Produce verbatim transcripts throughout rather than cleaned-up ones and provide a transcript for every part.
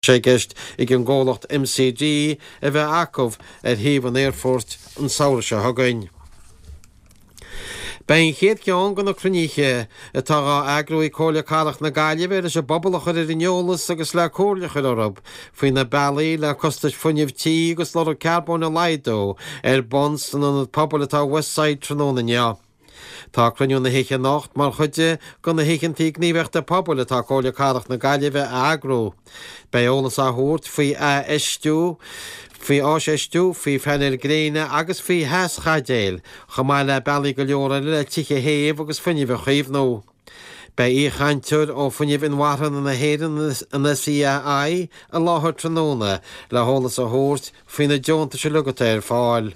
sé i gceist ag an gcomhlacht MCD a bheith acu ar shuíomh an aerfoirt an samhradh seo chugainn. Beidh an chéad cheann de na cruinnithe atá á eagrú ag Comhairle Cathrach na Gaillimhe leis an bpobal a chur ar an eolas agus le comhairle a chur orthu faoi na bealaí le costais fuinnimh tí agus lorg carbóin a laghdú ar bun san ionad pobail atá i Westside tráthnóna inniu. Tá cruinniú na hoíche anocht mar chuid de na hoícheanta gníomhaíochta pobail atá Comhairle Cathrach na Gaillimhe a eagrú. Beidh eolas á thabhairt faoi athfheistiú, faoi áisfheistiú, faoi phainéil gréine agus faoi theaschaidéil, chomh maith le bealaí go leor eile le tithe a théamh agus fuinneamh a chaomhnú. Beidh aoichainteoir ó Fuinneamh Inmharthana na hÉireann an SEAI i láthair tráthnóna le heolas a thabhairt faoi na deontais uilig atá ar fáil.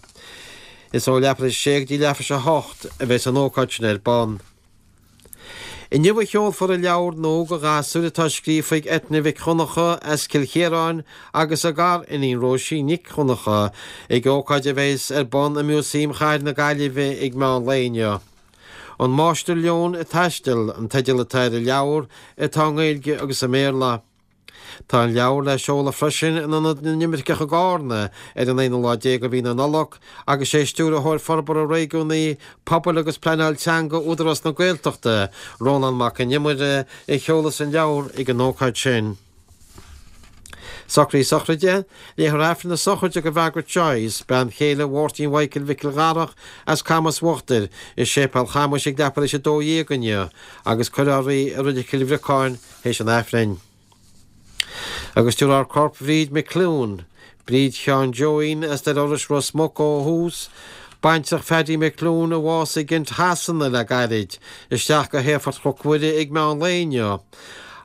Is ó leathuair tar éis a sé go dtí leathuair tar éis a hocht a bheas an ócáid sin ar bun. Inniu a sheolfar an leabhar nua do ghasúir atá scríofa ag Eithne Mhic Dhonncha as Cill Chiaráin agus a gar-iníon Róisín Nic Dhonncha ag ócáid a bheas ar bun i Músaem Chathair na Gaillimhe ag meán lae inniu. An Máistir Leon ag Taisteal an teideal atá ar an leabhar atá i nGaeilge agus i mBéarla. Tá an leabhar le seoladh freisin in Ionad na nImirceach i gCarna ar an aonú lá déag de mhí na Nollag agus sé Stiúrthóir Forbartha Réigiúnaí, Pobail agus Pleanáil Teanga Údarás na Gaeltachta, Rónán Mac Con Iomaire, a sheolfas an leabhar ag an ócáid sin. Socruithe sochraide, Léifear Aifreann na sochraide do Mhargaret Joyce, bean chéile Mháirtín Mhichael Mhicil Dharach as Camas Uachtair, i Séipéal Chamuis ag leathuair tar éis a dó dhéag inniu agus cuirfear í i Reilig Chill Bhriocáin théis an Aifrinn. Agus tabharfar corp Bhríd McClune, Bríd Sheáin Joeín as Doire Iorrais Ros Muc ó thús, baintreach Phaddy McClune a bhásaigh i gCent Shasana le gairid, isteach go hAerfort Chnoc Mhuire ag meán lae inniu.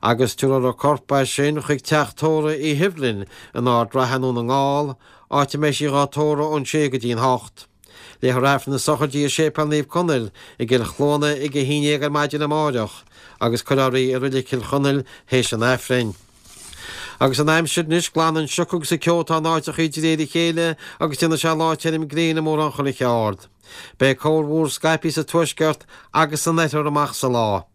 Agus tabharfar a corp as sin chuig teach tórraimh Uí Shibhlin in Ard Ratha i nDún na nGall, áit a mbeidh sí dhá tórramh ón sé go dtí'n hocht. Léifear Aifreann na sochraide i Séipéal Naomh Conaill i gCill Chluana ag a haon déag ar maidin amáireach agus cuirfear í i Reilig Chill Chonaill théis an Aifrinn. Agus an aimsir anois, glanfaidh an sioc agus an ceo atá in áiteachaí de réir a chéile agus déanfaidh sé lá tirim gréine i mórán chuile cheard. Beidh corrmhúr scaipthe sa tuaisceart agus san oirthear amach sa lá.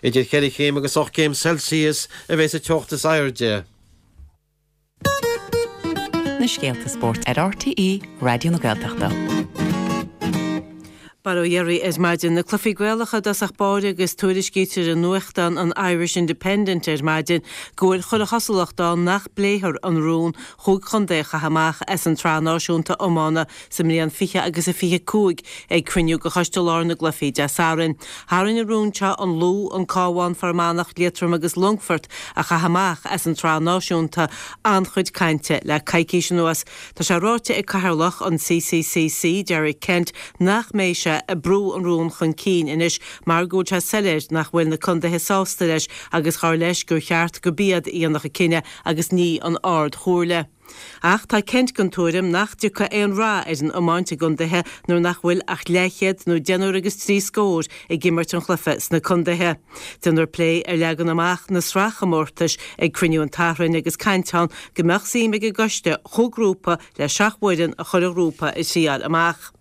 Idir cheithre chéim agus ocht gcéim Celsius a bheidh sa teocht is airde. Na scéalta spóirt ar RTÉ Raidió na Gaeltachta. Bail ó Dhia oraibh ar maidin na cluichí Gaelacha i dtosach báire agus tuairiscítear i nuachtán an Irish Independent ar maidin go bhfuil chuile chosúlacht ann nach bpléifear an rún chúig chontae a chaitheamh amach as an tsraith náisiúnta iomána sa mbliain fiche agus a fiche cúig ag cruinniú de Choiste Láir na gCluichí Dé Sathairn. Tharraing an rún seo an Lú, an Cabhán, Fear Manach, Liatroim agus Longfort a chaitheamh amach as an tsraith náisiúnta an-chuid cainte le coicís anuas. Tá sé ráite ag Cathaoirleach an CCCC, Derek Kent, nach mbeidh sé ag brú an rún chun cinn anois mar go bhfuil sé soiléir nach bhfuil na contaetha sásta leis agus dar leis gur cheart gurb iad a dhéanfadh an cinneadh agus ní an Ard-Chomhairle. Ach tá Kent den tuairim nach dtiocfaidh aon rath ar an iomáint i gcontaetha nuair nach bhfuil ach leathchéad nó deichniúr agus trí scór ag imirt an chluiche sna contaetha. Déanfar plé ar leagan amach na sraithchomórtais ag cruinniú an tSathairn agus caint ann go mbeadh suim ag an gcoiste chúig ghrúpa le seacht bhfoireann a chur i ngrúpa a thriáil amach.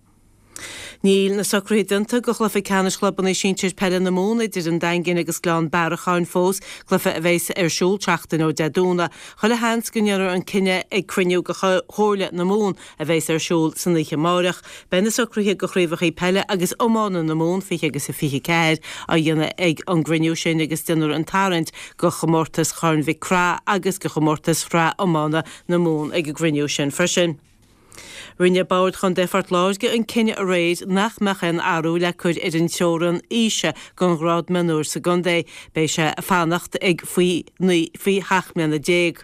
Níl na socruithe déanta do chluiche ceannais chlubanna sinsir peile na Mumhan idir an Daingean agus Gleann Bearacháin fós, cluiche a bheas ar siúl seachtain ó Dé Domhnaigh. Chuile sheans go ndéanfar an cinneadh ag cruinniú de Chomhairle na Mumhan a bheas ar siúl san oíche amárach. Beidh na socruithe do chraobhacha peile agus iomána na Mumhan fiche agus a fiche ceathair á dhéanamh ag an gcruinniú sin agus déanfar an tarraingt do chomórtas Chorn Mhic Craith agus do chomórtas Shraith Iomána na Mumhan ag an gcruinniú sin freisin. Rinne Bord Chontae Phort Láirge an cinneadh aréir nach mbeadh aon athrú le cur ar an teorainn aoise don ghrád mionúir sa gcontae. Beidh sé ag fanacht ag faoi naoi faoi sheacht mbliana déag.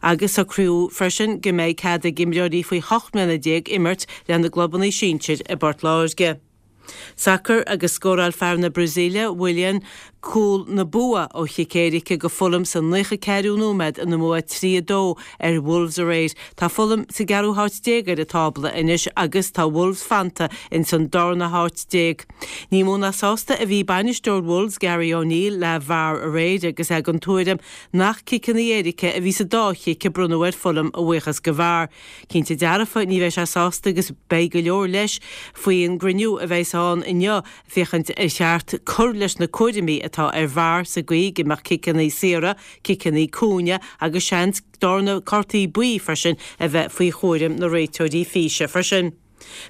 Agus socraíodh freisin go mbeidh cead ag imreoirí faoi hocht mbliana déag imirt lena gclubanna sinsir i bPort Láirge. Sacar agus scóráil fear na Brasaíle, Willian, cúl na bua ó chic éirice do Fulham sa naocha ceathrú nóiméad ina mbua trí a dó ar Wolves aréir. Tá Fulham sa gceathrú háit déag ar an tábla anois agus tá Wolves fanta ins an darna háit déag. Ní mó ná sásta a bhí bainisteoir Wolves, Gary O'Neill, le VAR aréir agus é den tuairim nach ciceanna éirice a bhí sa dá chic a bronnadh ar Fulham a bhuíochas do VAR. Cinnte dearfa ní bheidh sé sásta agus beidh go leor leis faoin gcruinniú a bheidh ann inniu féachaint ar cheart cur leis na cúraimí atá ar VAR sa gcaoi go mbeadh ciceanna saora, ciceanna cúinne agus seans darna cártaí buí freisin a bheith faoi chúram na réiteoirí físe freisin.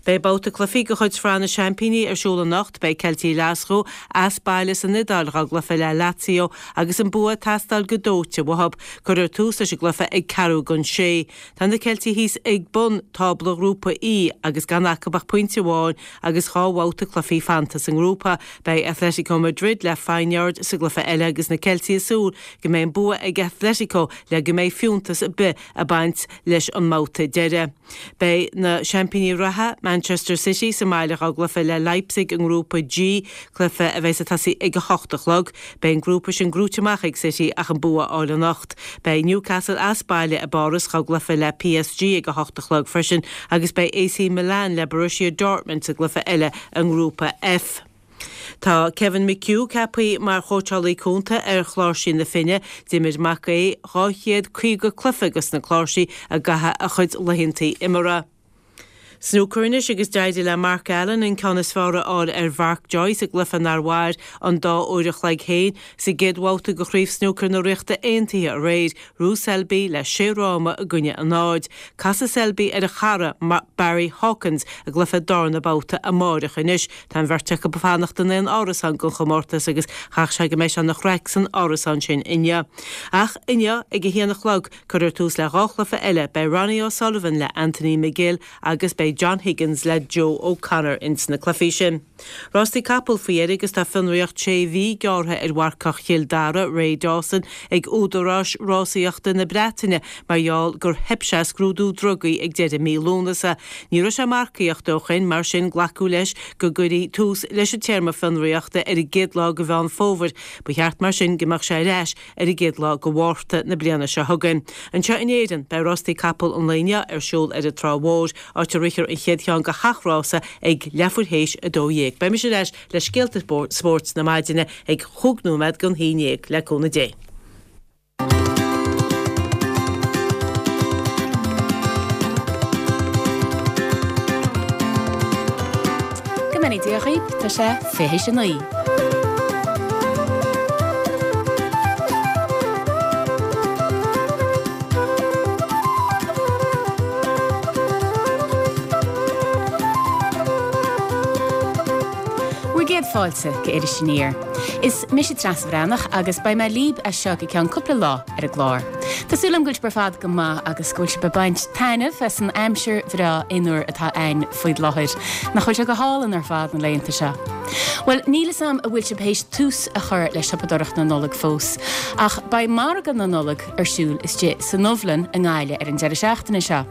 Beidh babhta cluichí de chuid Shraith na Seaimpíní ar siúl anocht, beidh Ceiltigh Ghlaschú as baile san Iodáil dhá gcluiche le Lazio agus an bua ag teastáil go dóite uathu. Cuirfear tús leis an gcluiche ag ceathrú don sé. Tá na Ceiltigh thíos ag bun tábla Ghrúpa E agus gan acu ach pointe amháin agus dhá bhabhta cluichí fanta sa ngrúpa. Beidh Atletico Madrid le Feyenoord sa gcluiche eile agus na Ceiltigh ag súil go mbeidh an bua ag Atletico le go mbeidh fiúntas ar bith ag baint leis an mbabhta deiridh. Beidh na seaimpíní reatha, Manchester City, sa mbaile dhá gcluiche le Leipzig i nGrúpa G, cluiche a bheas ag tosaí ag a hocht a chlog. Beidh an grúpa sin gnóite amach ag City ach an bua a fháil anocht. Beidh Newcastle as baile i bPáras dhá gcluiche le PSG ag a hocht a chlog freisin agus beidh AC Milan le Borussia Dortmund sa gcluiche eile i nGrúpa F. Tá Kevin McHugh ceaptha mar chóitseálaí cúnta ar Chláirsigh na Finne. D'imir Mac Aodha dhá chéad caoga cluiche dos na Cláirsigh i gcaitheamh a chuid laethanta imeartha. Snúcar anois agus d'éirigh le Mark Allen an ceann is fearr a fháil ar Mhark Joyce i gcluiche nár mhair an dá uair a chloig féin sa gcéad bhabhta de Chraobh Snúcair na Ríochta Aontaithe aréir. Ghnóthaigh Selby le sé fhráma i gcoinne a náid. Casfaidh Selby ar a chara Barry Hawkins i gcluiche darna babhta amáireach anois. Tá an bheirt acu ag fanacht in aon árasán don chomórtas agus chaithfeadh sé go mbeidh sé ina chraic san árasán sin inniu. Ach inniu ag a haon a chlog cuirfear tús le dhá chluiche eile, beidh Ronnie O'Sullivan le Anthony McGill agus beidh John Higgins le Joe O'Connor ins na cluichí sin. Rástaí capall faoi dheireadh agus tá fionraíocht sé mhí gearrtha ar mharcach Chill Dara, Ray Dawson, ag údaráis rásaíochta na Breataine mar gheall gur theip sé scrúdú drugaí ag deireadh mí Lúnasa. Ní raibh sé ag marcaíocht ó shin, mar sin glacadh leis go gcuirfí tús leis an téarma fionraíochta ar an gcéad lá de Mheán Fómhair. Ba cheart mar sin go mbeadh sé ar ais ar an gcéad lá de Mhárta na bliana seo chugainn. Anseo in Éirinn, beidh rástaí capall an lae inniu ar siúl ar an Trá Mhór, áit a rithfear an chéad cheann de gach rása ag leathuair théis a dó dhéag. Beidh mise ar ais le scéalta spóirt na maidine ag chúig nóiméad don haon déag, le cúnamh Dé. Go mbeannaí Dia dhaoibh, tá sé fiche théis a naoi. Bhur gcéad fáilte go Iris Aniar. Is mise Treasa Bhreathnach agus beidh mé libh as seo go ceann cúpla lá ar an gclár. Tá súil agam go bhfuil sibh ar fad go maith agus go bhfuil sibh ag baint taitneamh as an aimsir bhreá fhionnuar atá againn faoi láthair. Nach bhfuil sé go hálainn ar fad na laethanta seo? Bhuel, níl fhios a'm an bhfuil sibh théis tús a chur le siopadóireacht na Nollag fós, ach beidh margadh na Nollag ar siúl istigh sa nDubhlann i nGaillimh ar an deireadh seachtaine seo.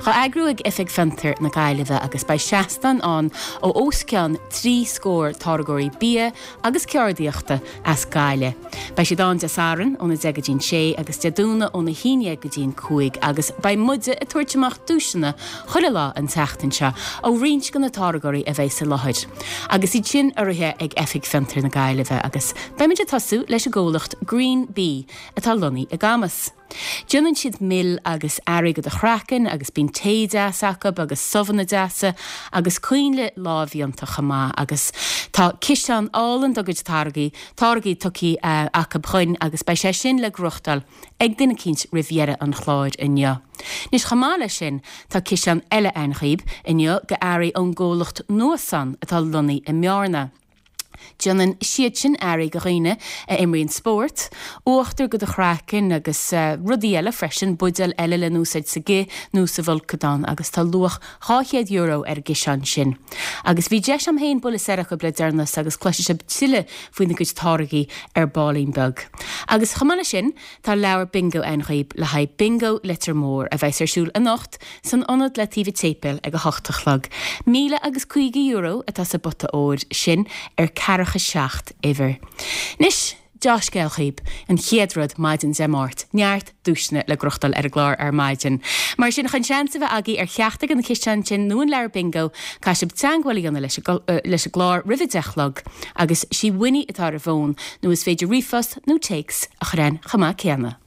Dhá eagrú ag Oifig Fiontar na Gaillimhe agus beidh seastáin ann ó os cionn trí scór táirgeoirí bia agus ceardaíochta as Gaillimh. Beidh siad ann Dé Sathairn óna deich go dtí'n sé agus Dé Domhnaigh óna haon dhéag go dtí'n cúig agus beidh muide ag tabhairt amach duaiseanna chuile lá an tseachtain seo ó roinnt de na táirgeoirí a bheidh sa láthair agus iad sin urraithe ag Oifig Fiontar na Gaillimhe agus beimid ag tosú leis an gcomhlacht Green Bee atá lonnaithe i gCamas. Déanann siad mil agus earraí do do chraiceann agus bíonn tae deas acu agus subhanna deasa agus coinnle lámhdhéanta chomh maith agus tá ciseán álainn dá gcuid táirgí, táirgí tugtha acu chugainn agus beidh sé sin le gnóthachtáil ag duine eicínt roimh dheireadh an chláir inniu. Anois chomh maith leis sin tá ciseán eile againn dhaoib inniu go earraí ón gcomhlacht Nuasan atá lonnaithe i mBearna. Déanann siad sin earraí go dhaoine a imríonn spórt, uachtar go do chraiceann agus rudaí eile freisin, buidéil eile le n-úsáid sa gcith nó sa bhfolcadán agus tá luach dhá chéad euro ar an gciseán sin. Agus bhí deis a'm féin bualadh soir acu le deireanas agus cloisfidh sibh tuilleadh faoina gcuid táirgí ar baillín beag. Agus chomh maith leis sin, tá leabhar bingo againn dhaoib le haghaidh Bingo Leitir Móir a bheas ar siúl anocht san ionad le taobh an tséipéil ag a hocht a chlog. Míle agus caoga euro atá sa bpota óir sin ar ceathracha seacht uimhir. Anois, deá-scéal dhaoib, an chéad rud maidin Dé Máirt, neart duaiseanna le gnóthachtáil ar an gclár ar maidin. Mar sin, chun seans a bheith agaibh ar cheachtar de na ciseáin sin nó an leabhar bingo, caithfidh sibh teagmháil a dhéanamh leis an gclár roimh a deich a chlog agus sí Winnie atá ar an bhfón nó is féidir ríomhphost nó téacs a chur a'inn chomh maith céanna.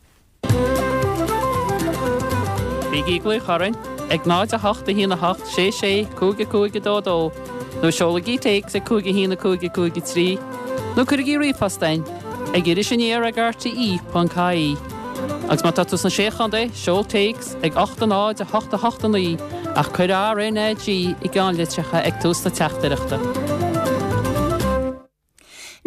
Bígí ag glaoch orainn ag náid a hocht a haon a hocht sé sé cúig a cúig a dó dó Nó seolaigí téacs ag cúig a haon a cúig a cúig a trí, nó cuirigí ríomhphost chugainn ag iris aniar ag R T E ponc I E. Agus má tá tú sna Sé Chontae, seol téacs ag ocht a náid a hocht a hocht a naoi ach cuir R N A G i gceannlitreacha ag tús na teachtaireachta.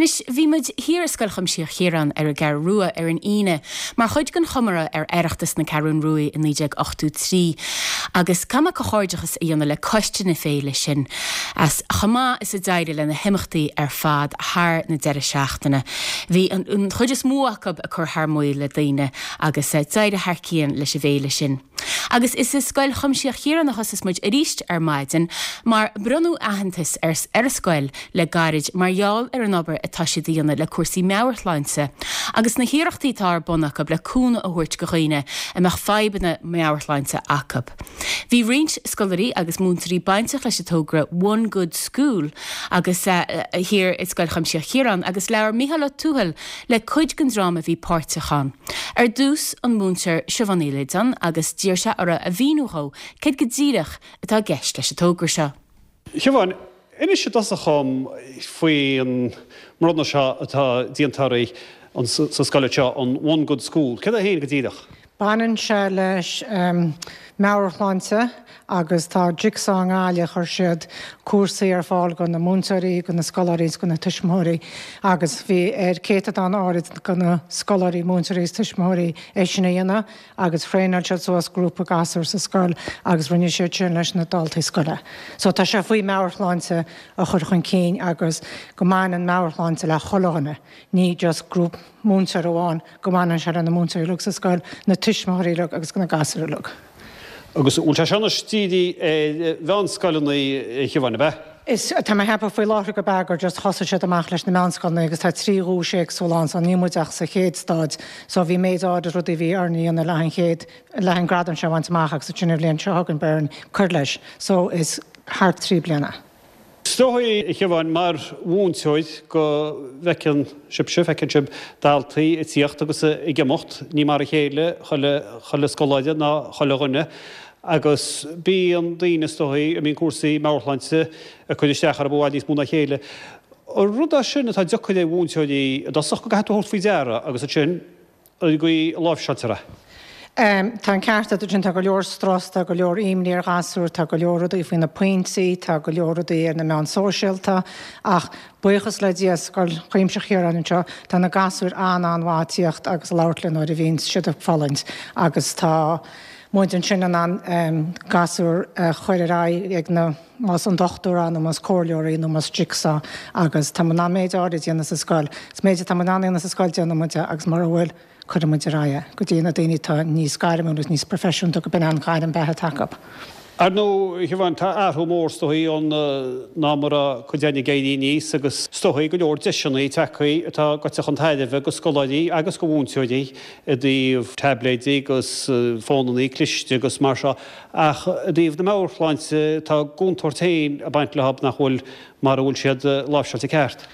Anois bhí muid thiar i Scoil Chuimsitheach Chiaráin ar an gCeathrú Rua ar an Aoine, mar chuid den chomóradh ar Oireachtas na Ceathrún Rua i naoi déag ochtó trí, agus caithfidh mé comhghairdeachas a dhéanamh le coiste na féile sin, as chomh maith is a d'éirigh le na himeachtaí ar fad thar na deireadh seachtaine. Bhí an, an chuid is mó acu ag cur thar maoil le daoine agus d'éirigh thar cionn leis an bhféile sin. Agus is i Scoil Chuimsitheach Chiaráin a thosas muid arís ar maidin mar bronnadh aitheantas ar, ar an scoil le gairid mar gheall ar an obair atá siad a dhéanamh le cúrsaí meabhairshláinte agus na hiarrachtaí atá ar bun acu le cúnamh a thabhairt go dhaoine a mbeadh fadhbanna meabhairshláinte acu. Bhí roinnt scoláirí agus múinteoirí bainteach leis an togra One Good School agus uh, thiar i Scoil Chuimsitheach Chiaráin agus labhair Mícheál Ó Tuathail le cuid den dream a bhí páirteach ann. Ar dtús an múinteoir Siobhán Ní Loideáin agus d'iarr sé uirthi a mhíniú dhó céard go díreach atá i gceist leis an togra seo. Siobhán, inis i dtosach dom faoin mbronnadh seo atá déanta oraibh sa scoil seo an One Good School. Céard é féin go díreach? Baineann sé leis um, meabhairshláinte agus tá Jigsaw i nGaillimh chuir siad cúrsaí ar fáil go na múinteoirí, go na scoláirí go na tuismitheoirí agus bhí ar céatadán áirid go na scoláirí múinteoirí is tuismitheoirí é sin a dhéanamh agus thraenáil siad suas grúpa gasúr sa scoil agus rinne siad sin leis na daltaí scoile. So tá sé faoi meabhairshláinte a chur chun cinn agus go mbaineann meabhairshláinte le chuile dhuine, ní just grúpa múinteoir amháin go mbaineann sé le na múinteoirí uilig sa scoil, na tuismitheoirí uilig agus na gasúir uilig. Agus bhfuil sé seo dírithe ar mheánscoileanna a Shiobhán ab ea? Is tá mé ag ceapadh faoi láthair go b'fhéidir just thosaigh siad amach leis na meánscoileanna agus tá trí dhuais éagsúla ann so níl muid ach sa chéad staid, so bhí méid áirid rudaí bhí orainn a dhéanamh le an chéad le an gradam seo a bhaint amach agus sin an bhliain seo chugainn beidh orainn cur leis, so is thar trí bliana. Is dóigh a Shiobhán mar mhúinteoir go bhfeiceann sibhse feiceann sibh daltaí ag tíocht agus ag imeacht ní mar a chéile chuile chuile scoláire ná chuile dhuine agus bíonn daoine is dóigh a mbíonn cúrsaí meabhairshláinte ag cur isteach orthu i bhfad níos mó ná a chéile. An rud é sin atá deacair ar mhúinteoirí i dtosach go gcaithfidh tú thabhairt faoi deara agus ansin an gcaoi a láimhseáiltear é. Um, tá an ceart agat sin tá go leor strus, tá go leor imní ar ghasúir, tá go leor rudaí faoi na pointí, tá go leor rudaí ar na meáin sóisialta, ach buíochas le Dia Scoil Chuimsitheach Chiaráin anseo, tá na gasúir an-an-mhaith tíocht agus labhairt linn nuair a bhíonn siad ag fulaingt agus tá muid ansin an an um, gasúr uh, chur ar aghaidh ag na más an dochtúir nó más comhairleoirí nó más Jigsaw agus tá an méid áirid déanta sa scoil. Is méid tá an déanta sa scoil déanann muid agus mar a bhfuil cuireann muid ar aghaidh go dtí na daoine atá níos gairmiúla agus níos proifisiúnta go b'in an ghairm beatha acu. Ar ndóigh a Shiobhán tá athrú mór is dóigh ann ná mar a cuid againn ag éirí aníos agus is dóigh go leor deiseanna tagtha atá goite chun tairbhe go scoláirí agus go mhúinteoirí i dtaobh taibléidí agus fónanna cliste agus mar seo ach i dtaobh na meabhairshláinte tá contúirt féin ag baint leo nach bhfuil mar a bhfuil siad láimhseáilte ceart.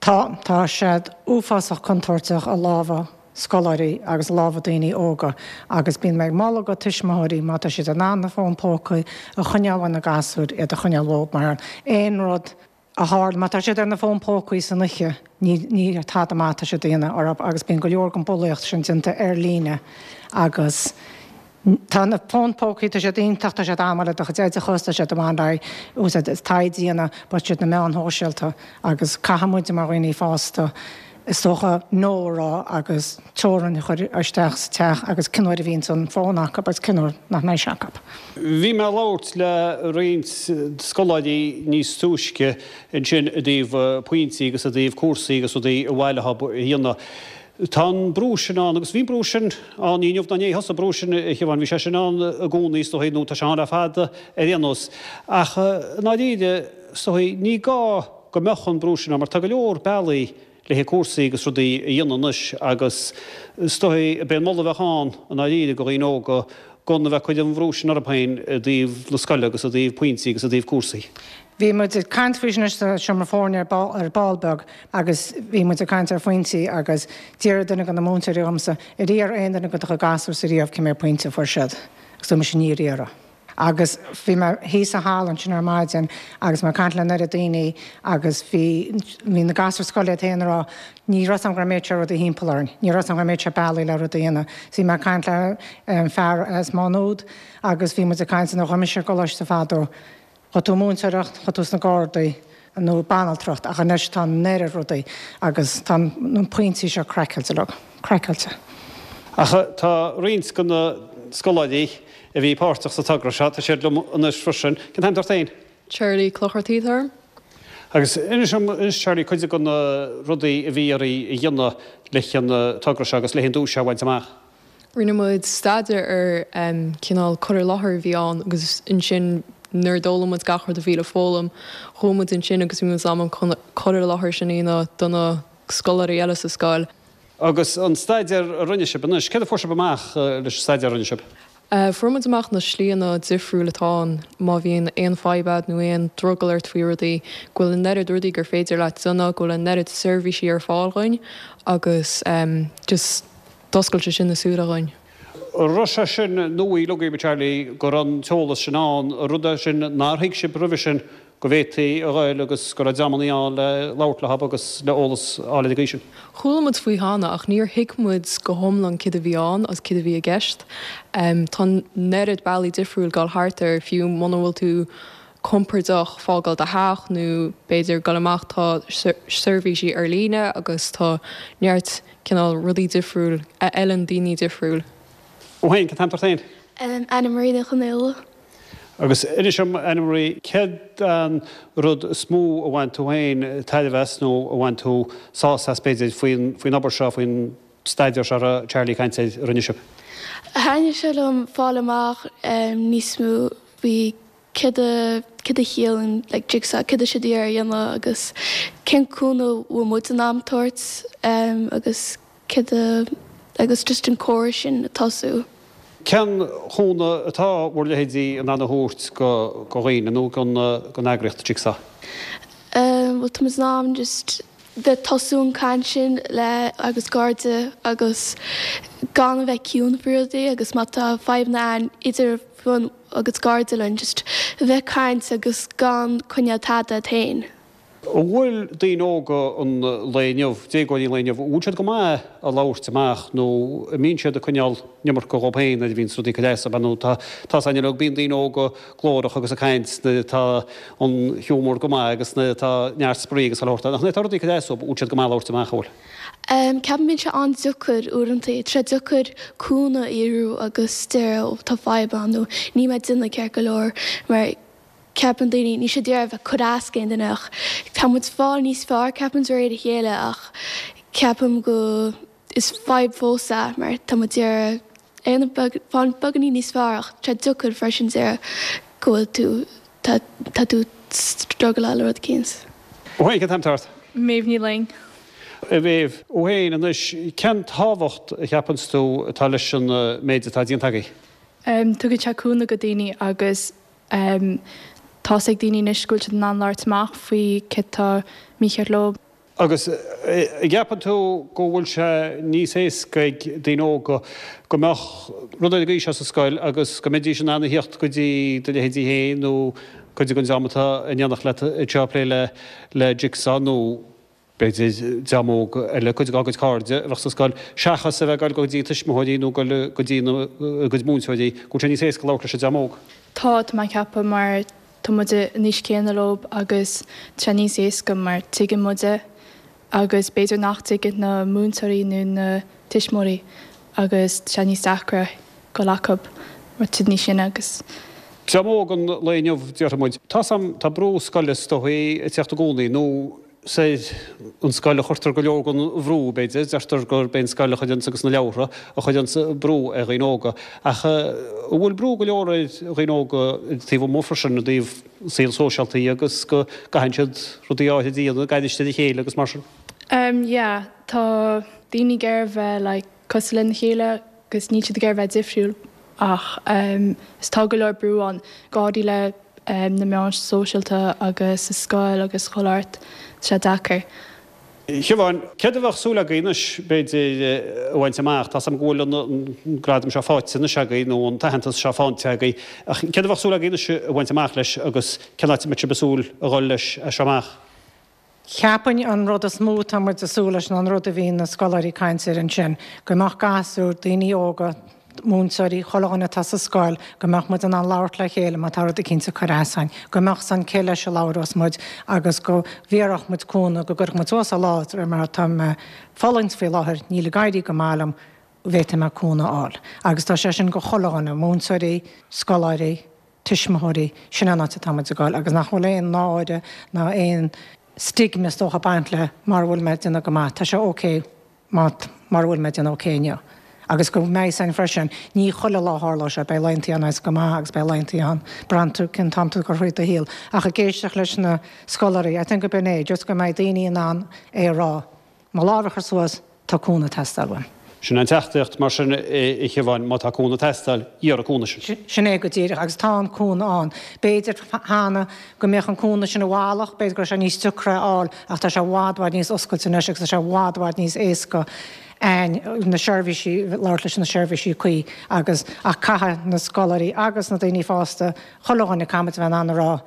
Tá tá siad uafásach contúirteach i lámha scoláirí agus lámha daoine óga agus bíonn mé ag moladh go tuismitheoirí má tá siad in ann na fóin póca a choinneáil na gasúir iad a choinneáil uathu mar aon rud a tharla má tá siad ar na fón pócaí san oíche ní ní tada maith atá siad a dhéanamh orthu agus bíonn go leor den bhulaíocht sin déanta ar líne agus Tá na fón pócaí tá siad iontach tá siad an-mhaith le do chuid oideachas tá siad an-mhaith úsáid taighde a dhéanamh but siad na meáin shóisialta agus caithfidh muid mar dhaoine fásta is dócha no a rá agus teorainn a chur isteach sa teach agus cén uair a bhíonn an fón acu agus cén uair nach mbeidh sé acu. Bhí mé ag labhairt le roinnt scoláirí níos túisce ansin i dtaobh pointí agus i dtaobh cúrsaí agus rudaí a bhaile a dhéanamh. Tá an brú sin ann agus bhí brú sin ann ní inniu ná inné a thosaigh an brú sin a Shiobhán, bhí sé sin ann i gcónaí is dóigh nó tá sé ann le fada ar aon nós. Ach i ndáiríre is dóigh ní gá go mbeadh an brú sin ann mar tá go leor bealaí le cúrsaí agus rudaí a dhéanamh anois agus is dóigh b'é an moladh a bheadh ann i ndáiríre go dhaoine óga gan a bheith ag cur an bhrú sin orthu féin i dtaobh na scoile agus i dtaobh pointí agus i dtaobh cúrsaí. Bhí muid ag caint faoi sin sa seomra foirne ar ball, ar ball beag agus bhí muid ag caint ar phointí agus deir duine de na múinteoirí liomsa ar iarr aon duine de do gasúir riamh cé mhéad pointe a fuair siad agus dúirt mise níor iarradh. Agus bhí mé thíos sa halla ansin ar maidin agus mé ag caint le an oiread daoine agus bhí bhí na gasúir scoile iad féin ag rá ní raibh 's agam go raibh an méid seo rudaí thimpeall orainn, ní raibh 's agam go raibh an méid seo bealaí le rudaí a dhéanamh. So bhí mé ag caint le fear as Má Nuad agus bhí muid ag caint nuair a chuaigh mise ar gcoláiste fadó. Chuaigh tú múinteoireacht, chuaigh tú sna Gardaí nó banaltracht ach anois tá an oiread rudaí agus tá na pointí seo craiceáilte leo, craiceáilte. Ach tá roinnt de na scoláirí a bhí páirteach sa togra seo, tá siad liom anois freisin. Cén t-ainm ort féin? Charlie Clochartaigh atá orm. Agus inis dom anois Charlie cuid de na rudaí a bhí oraibh a dhéanamh leis an togra seo agus leis an duais seo a bhaint amach. Rinne muid staidéar ar cineál cur i láthair a bhí ann agus ansin nuair a d'fhoghlaim muid gach rud a bhí le foghlaim, chuaigh muid ansin agus bhí muid in ann an cur i láthair sin a dhéanamh do na scoláirí eile sa scoil. Agus an staidéar a rinne sibh anois, céard a fuair sibh amach leis an staidéar a rinne sibh? Fuair muid amach na slíanna difriúil atá ann má bhíonn aon fadhb agat nó aon drogall ort faoi rudaí, go bhfuil an oiread rudaí gur féidir leat déanamh, go bhfuil an oiread seirbhísí ar fáil dhuinn agus just d'oscail sé sin na súile dhuinn. An raibh sé sin nua agaibh, a Charlie, go raibh an t-eolas sin ann, an rud é sin nár thuig sibh roimhe sin go bhféadfaí a ghoil agus go raibh dreamannaí ann le labhairt leo agus le eolas a fháil ar an gcaoi sin? Chuala muid faoi cheana ach níor thuig muid go hiomlán céard a bhí ann agus céard a bhí i gceist. Tá an oiread bealaí difriúil dul thart air fiú muna bhfuil tú compordach fágáil do theach nó b'fhéidir dul amach tá seirbhísí ar líne agus tá neart cineál rudaí difriúil a fheileann daoine difriúil. Ó féin, cén t-ainm ort féin? Anna Marie Ní Chonaola. Agus inis dom, Anna Marie, céard an rud is mó a bhain tú féin tairbhe as nó a bhain tú sásamh as b'fhéidir faoin faoin obair seo, faoin staidéar seo a raibh Charlie ag caint air a rinne sibh? Thaitnigh sé liom fáil amach níos mó faoi céard a céard a chiallaíonn like jigsaw, céard atá siad ag iarraidh a dhéanamh agus cén cúnamh a bhfuil muid in ann tabhairt agus céard a agus just an comhrá sin a tosú. Cén chúnamh atá bhur leithéidí in ann a thabhairt go go dhaoine nó don don eagraíocht Jigsaw? Bhuel tá muid in ann just bheith tosú an caint sin le agus cairde agus gan a bheith ciúin faoi rudaí agus má tá fadhbanna ann idir agus cairde linn just a bheith caint agus gan coinneáil tada ort féin. An bhfuil daoine óga an lae inniu, déagóirí an lae inniu, an bhfuil siad go maith ag labhairt amach nó an mbíonn siad ag coinneáil an iomarca dhóibh féin nuair a bhíonns rudaí ag cur as dóibh nó tá tá's againn uilig, bíonn daoine óga glórach agus ag caint nuair atá an hiúmar go maith agus nuair atá neart spraoi agus chuile shórt ann ach nuair atá rudaí ag cur as dóibh, an bhfuil siad go maith ag labhairt amach, an bhfuil? Ceapaim bíonn sé an-deacair uaireanta, tá sé deacair cúnamh a iarraidh agus deir ó tá fadhb ann nó níl mé ag déanamh ceart go leor mar ceapann daoine, níl siad ag iarraidh a bheith ag cur as d'aon duine ach tá muid fáil níos fearr ceapaim de réir a chéile ach ceapaim go is fadhb fós é mar tá muid ag iarraidh fáil beagáinín níos fearr ach tá sé deacair freisin deir go bhfuil tú tá tá tú struggleáil le rud eicínt. Ó féin, cén t-ainm atá ort? Méabh Ní Fhloinn. A Mhéabh, ó féin anois, cén tábhacht a cheapanns tú atá leis an méid atá déanta agaibh? Tugann sé cúnamh go daoine agus Tá's ag daoine anois go bhfuil siad in ann labhairt amach faoi céard atá mícheart leo. Agus an gceapann tú go bhfuil sé níos éasca ag daoine óga go mbeadh rud ar an gcaoi seo sa scoil agus go mbeidís in ann a theacht go dtí do leithéidí féin nó cuid den dream atá in éineacht leat anseo ag plé le Jigsaw nó b'fhéidir dream óg eile, cuid dá gcuid cairde a bheadh sa scoil, seachas a bheith ag dul go dtí tuismitheoirí nó dul go dtí a gcuid múinteoirí, go bhfuil sé níos éasca labhairt leis an dream óg. Tá, tá mé ag ceapadh, mar tá muid an aois céanna leo agus tá sé níos éasca mar tuigeann muid é agus b'fhéidir nach dtuigeann na múinteoirí nó na tuismitheoirí agus tá sé níos deacra dul acu mar tá siad níos sine agus. Dream óg an lae inniu, déarfaidh muid. Tá's a'm, tá brú scoile is dóigh ag teacht i gcónaí nó is ar an scoil a chuirtear go leor den bhrú, b'fhéidir. Deirtear gurb é an scoil a chuireanns agus na leabhartha a chuireanns brú ar dhaoine óga. Ach an bhfuil brú go leor ar dhaoine óga taobh amuigh freisin i dtaobh saol sóisialta agus go gcaitheann siad rudaí áirithe a dhéanamh, ag aithris ar a chéile agus mar sin? Umm yeah, tá daoine ag iarraidh bheith like cosúil lena chéile agus níl siad ag iarraidh bheith difriúil ach umm is tá go leor brú ann, go háirithe le na meáin sóisialta agus sa scoil agus chuile áit, tá sé deacair. Siobhán, céard a bheadh súil agaibh anois, b'fhéidir, a bhaint amach? Tá's agam go bhfuil an gradam seo faighte anois agaibh, nó an t-aitheantas seo faighte agaibh, ach céard a bheadh súil agaibh anois a bhaint amach leis agus cén áit a mbeidh sibh ag súil a dhul leis as seo amach? Cheapfainn an rud is mó atá muid ag súil leis ná an rud a bhí na scoláirí ag caint air ansin, go mbeadh gasúir, daoine óga, múinteoirí, chuile dhuine atá sa scoil, go mbeadh muid in ann labhairt le chéile má tá rud eicínt ag cur as dúinn, go mbeadh 's againn cé leis a labhrós muid agus go bhféadfadh muid cúnamh, go gcuirfeadh muid suas ár lámh mar tá mé ag fulaingt faoi láthair, níl ag éirí go maith liom, bhféadfaidh mé cúnamh a fháil. Agus tá sé sin go chuile dhuine, múinteoirí, scoláirí, tuismitheoirí, sin an áit atá muid ag dul agus nach bhfuil aon náire ná aon stigma is dócha ag baint le mara bhfuil mé ag déanamh go maith, tá sé ok má mara bhfuil mé ag déanamh ok inniu. Agus go mbeidh 's againn freisin, ní chuile lá a tharlóidh sé, beidh laethanta ann a bheas go maith agus beidh laethanta ann, braitheann tú cén t-am tú ag cur thríd do shaol. Ach ag éisteacht leis na scoláirí, I think go b'in é, just go mbeidh daoine in ann é a rá, mo lámh a chur suas, tá cúnamh ag teastáil uaim. Sin an teachtaireacht, mar sin, a Shiobháin, má tá cúnamh ag teastáil, iarr an cúnamh sin. Sin é go díreach, agus tá an cúnamh ann. B'fhéidir cheana go mbeadh an cúnamh sin i bhfalach, b'fhéidir go raibh sé níos deacra a fháil, ach tá sé i bhfad, bhfad níos oscailte anois agus tá sé i bhfad, bhfad níos éasca na seirbhísí, labhairt leis na seirbhísí cuí agus, ach caithfidh na scoláirí agus na daoine fásta, chuile dhuine, caithfidh muid a bheith in ann a rá,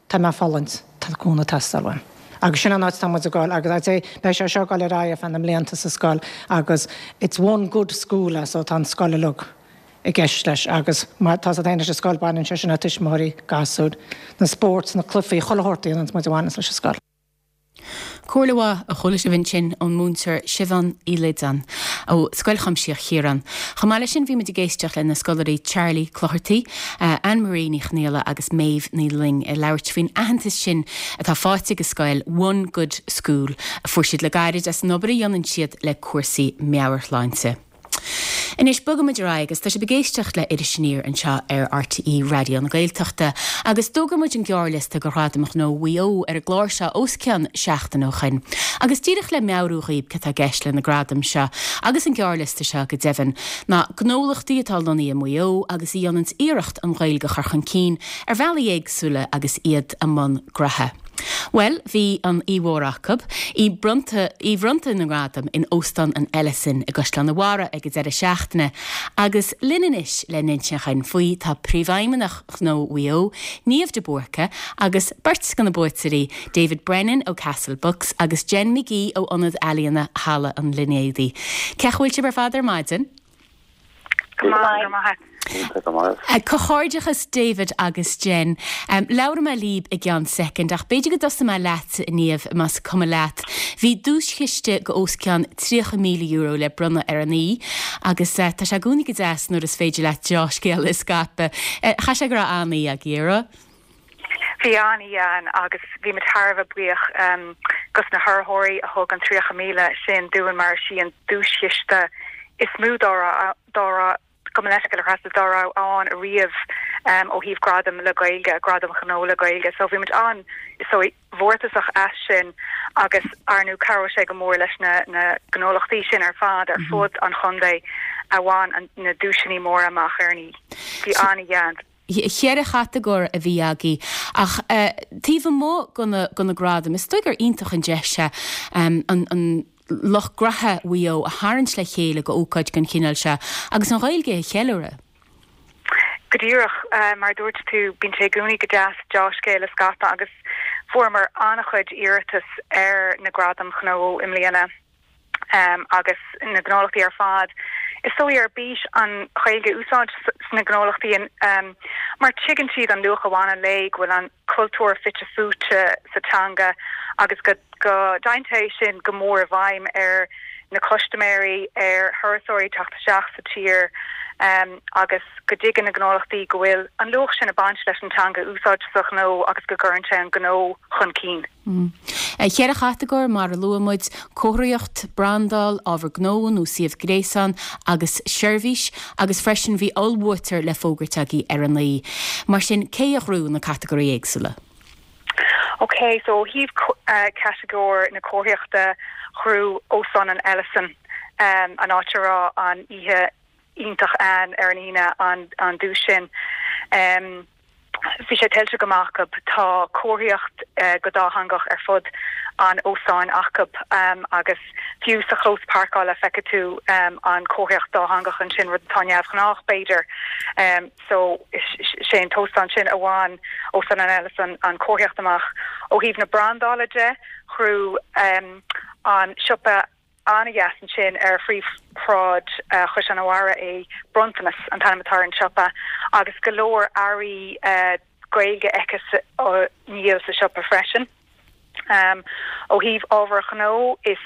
Tá mé ag fulaingt, tá cúnamh ag teastáil uaim. Agus sin an áit atá muid ag dul agus I'd say beidh sé seo ag dul ar aghaidh ar feadh na mblianta sa scoil agus it's one good school so tá an scoil uilig i gceist leis agus mar tá a fhios leis an scoil baineann sé sin le tuismitheoirí, gasúir, na sports, na cluichí, chuile shórt a dhéananns muid a bhaineanns leis an scoil. Comhairle mhaith a chuala sibh ansin ón múinteoir Siobhán Uí Loideáin ó Scoil Chuimsitheach Chiaráin. Chomh maith leis sin bhí muid ag éisteacht le na scoláirí Charlie Cloherty, Anne Marie Ní Chonghaile agus Méabh Ní Fhloinn ag labhairt faoin aitheantas sin atá faighte ag an scoil One Good School a fuair siad le gairid as an obair a dhéanann siad le cúrsaí meabhairshláinte. Anois, bogaimid ar aghaidh agus tá sibh ag éisteacht le Iris Aniar anseo ar RTÉ Raidió na Gaeltachta agus d'fhógair muid an gearrliosta do Ghradaim Ghnó Mhaigh Eo ar an gclár seo os cionn seachtain ó shoin. Agus díreach le meabhrú dhaoib cé tá i gceist le na gradaim seo agus an gearrliosta seo go deimhin, ná gnólachtaí atá lonnaithe i Maigh Eo agus a dhéananns iarracht an Ghaeilge a chur chun cinn ar bhealaí éagsúla agus iad i mbun graithe. Bhuel, bhí an oíche mhór acu, oíche bronnta, oíche bhronnta na ngradam in Óstán an Ellison i gCaisleán an Bharraigh ag an deireadh seachtaine agus linn anois le n-insint dhúinn faoi tá Príomhfheidhmeannach Ghnó Mhaigh Eo, Niamh de Búrca agus beirt de na buaiteoirí, David Brennan ó Castle Books agus Jen McGee ó Ionad Ealaíona Halla an Línéadaigh. Cén chaoi a bhfuil sibh ar fad ar maidin? Go maith, go maith. Iontach go maith. Comhghairdeachas David agus Jen. Labhróidh mé libh i gceann soicind ach b'fhéidir go dtosóidh mé leat, Niamh, más cuma leat. Bhí duaischiste go os cionn tríocha míle euro le bronnadh ar an oíche agus tá sé i gcónaí go deas nuair is féidir leat deá-scéala a scaipeadh. Chaithfidh sé go raibh an-oíche agaibh, an raibh? Bhí an-oíche ann agus bhí muid thar a bheith buíoch dos na hurraitheoirí a thug an tríocha míle sin dúinn mar is í an duaischiste is mó dá raibh dá raibh gabh mo leithscéal a Threasa dá raibh ann ariamh ó thaobh gradam le Gaeilge, gradam gnó le Gaeilge. So bhí muid an, is dóigh, mhórtasach as sin agus ar ndóigh cabhróidh sé go mór leis na na gnólachtaí sin ar fad ar fud an chontae a bhain na duaiseanna móra amach ar an oíche. Bhí an-oíche ann. Cheithre chatagóir a bhí agaibh ach taobh amuigh de na gradaim, is dóigh gur iontach an deis é an lucht graithe Mhaigh Eo a tharraingt le chéile go ócáid den chineál seo agus an Ghaeilge a cheiliúradh. Go díreach, mar a dúirt tú, bíonn sé i gcónaí go deas deá-scéal a scaipeadh agus fuaireamar an-chuid iarratas ar na Gradaim Ghnó i mbliana. agus na gnólachtaí ar fad, is dóigh, ar bís an Ghaeilge a úsáid sna gnólachtaí mar tuigeann siad an luach a bhaineann léi, go bhfuil an cultúr fite fuaite sa teanga agus go go dtéann sé sin go mór i bhfeidhm ar na custaiméirí, ar thurasóirí teacht isteach sa tír agus go dtuigeann na gnólachtaí go bhfuil an luach sin ag baint leis an teanga a úsáid sa ghnó agus go gcuireann sé an gnó chun cinn. Ceithre chatagóir, mar a luaigh muid, comharthaíocht, brandáil, ábhar gnó nó suíomh gréasáin agus seirbhís, agus freisin bhí ollbhuaiteoir le fógairt agaibh ar an oíche. Mar sin, cé a ghnóthaigh na catagóirí éagsúla? Ok, so ó thaobh catagóir na comharthaíochta, ghnóthaigh Óstán an Ellison, an áit a raibh an oíche iontach ann ar an Aoine, an duais sin. Bhí sé tuillte go maith acu. Tá comharthaíocht go dátheangach ar fud an óstáin acu agus fiú sa chlós páirceála feicfidh tú an comharthaíocht dátheangach ansin, rud atá neamhghnách b'fhéidir. So sé an t-óstán sin a bhain Óstán an Ellison an comharthaíocht amach. Ó thaobh na brandála de, ghnóthaigh an siopa an-dheas ansin ar phríomhshráid Chaisleán an Bharraigh é Bronntanas an t-ainm atá ar an siopa agus go leor earraí Gaeilge aici á ndíol sa siopa freisin. Ó thaobh ábhar gnó, is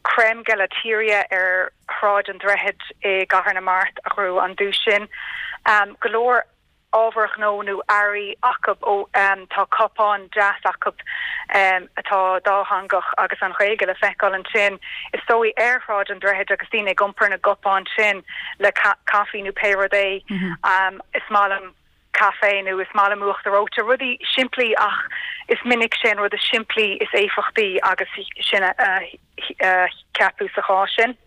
Creme Gelateria ar Shráid an Droichid i gCathair na Mart a ghnóthaigh an duais sin. Go leor ábhar gnó nó earraí acu ó tá cupán deas acu atá dátheangach agus an Ghaeilge le feiceáil ansin is dóigh ar Shráid an Droichid agus daoine ag iompar na gcupán sin le caife nó pé rud é. Is maith liom caife nó is maith liom uachtar reoite, rudaí simplí ach is minic sé an rud is simplí is éifeachtaí agus sin a ceapadh sa chás sin.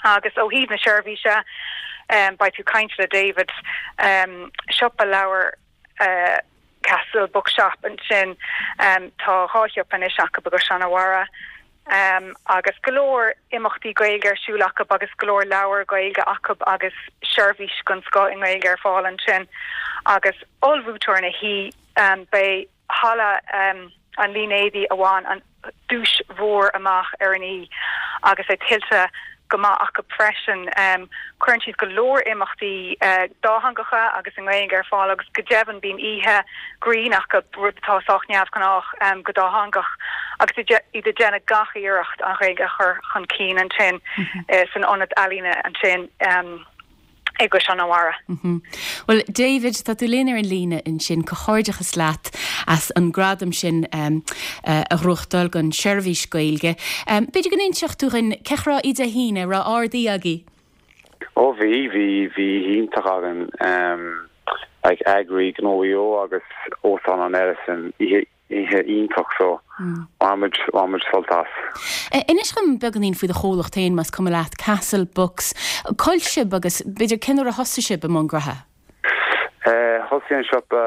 Agus ó thaobh na seirbhíse, beidh tú caint le David, siopa leabhar Castle Bookshop ansin, tá dhá shiopa anois acu i gCaisleán an Bharraigh agus go leor imeachtaí Gaeilge ar siúl acu agus go leor leabhar Gaeilge acu agus seirbhís den scoth i nGaeilge ar fáil ansin. Agus ollbhuaiteoir na hoíche, beidh Halla an Línéadaigh a bhain an duais mhór amach ar an oíche agus é tuillte go maith acu freisin. Cuireann siad go leor imeachtaí dátheangacha agus i nGaeilge ar fáil agus go deimhin bíonn oíche grinn acu, rud atá sách neamhghnách go dátheangach, agus iad ag déanamh gach iarracht an Ghaeilge a chur chun cinn ansin san ionad ealaíne ansin. I gCaisleán an Bharraigh. Bhuel, David, tá tú linn ar an líne ansin, comhghairdeachas leat as an gradam sin a ghnóthachtáil don seirbhís Gaeilge. B'fhéidir go n-inseodh tú dhúinn cén chaoi a raibh Dé hAoine, raibh ard-oíche agaibh? Ó bhí, bhí, bhí oíche iontach againn. Like eagraí Gnó Mhaigh Eo agus Óstán an Ellison, oíche Oíche iontach so bhain muid, bhain muid sult as. Inis dhom beagáinín faoi do chomhlacht féin más cuma leat, Castle Books. Cá bhfuil sibh agus b'fhéidir cén uair a thosaigh sibh i mbun graithe? Thosaigh an siopa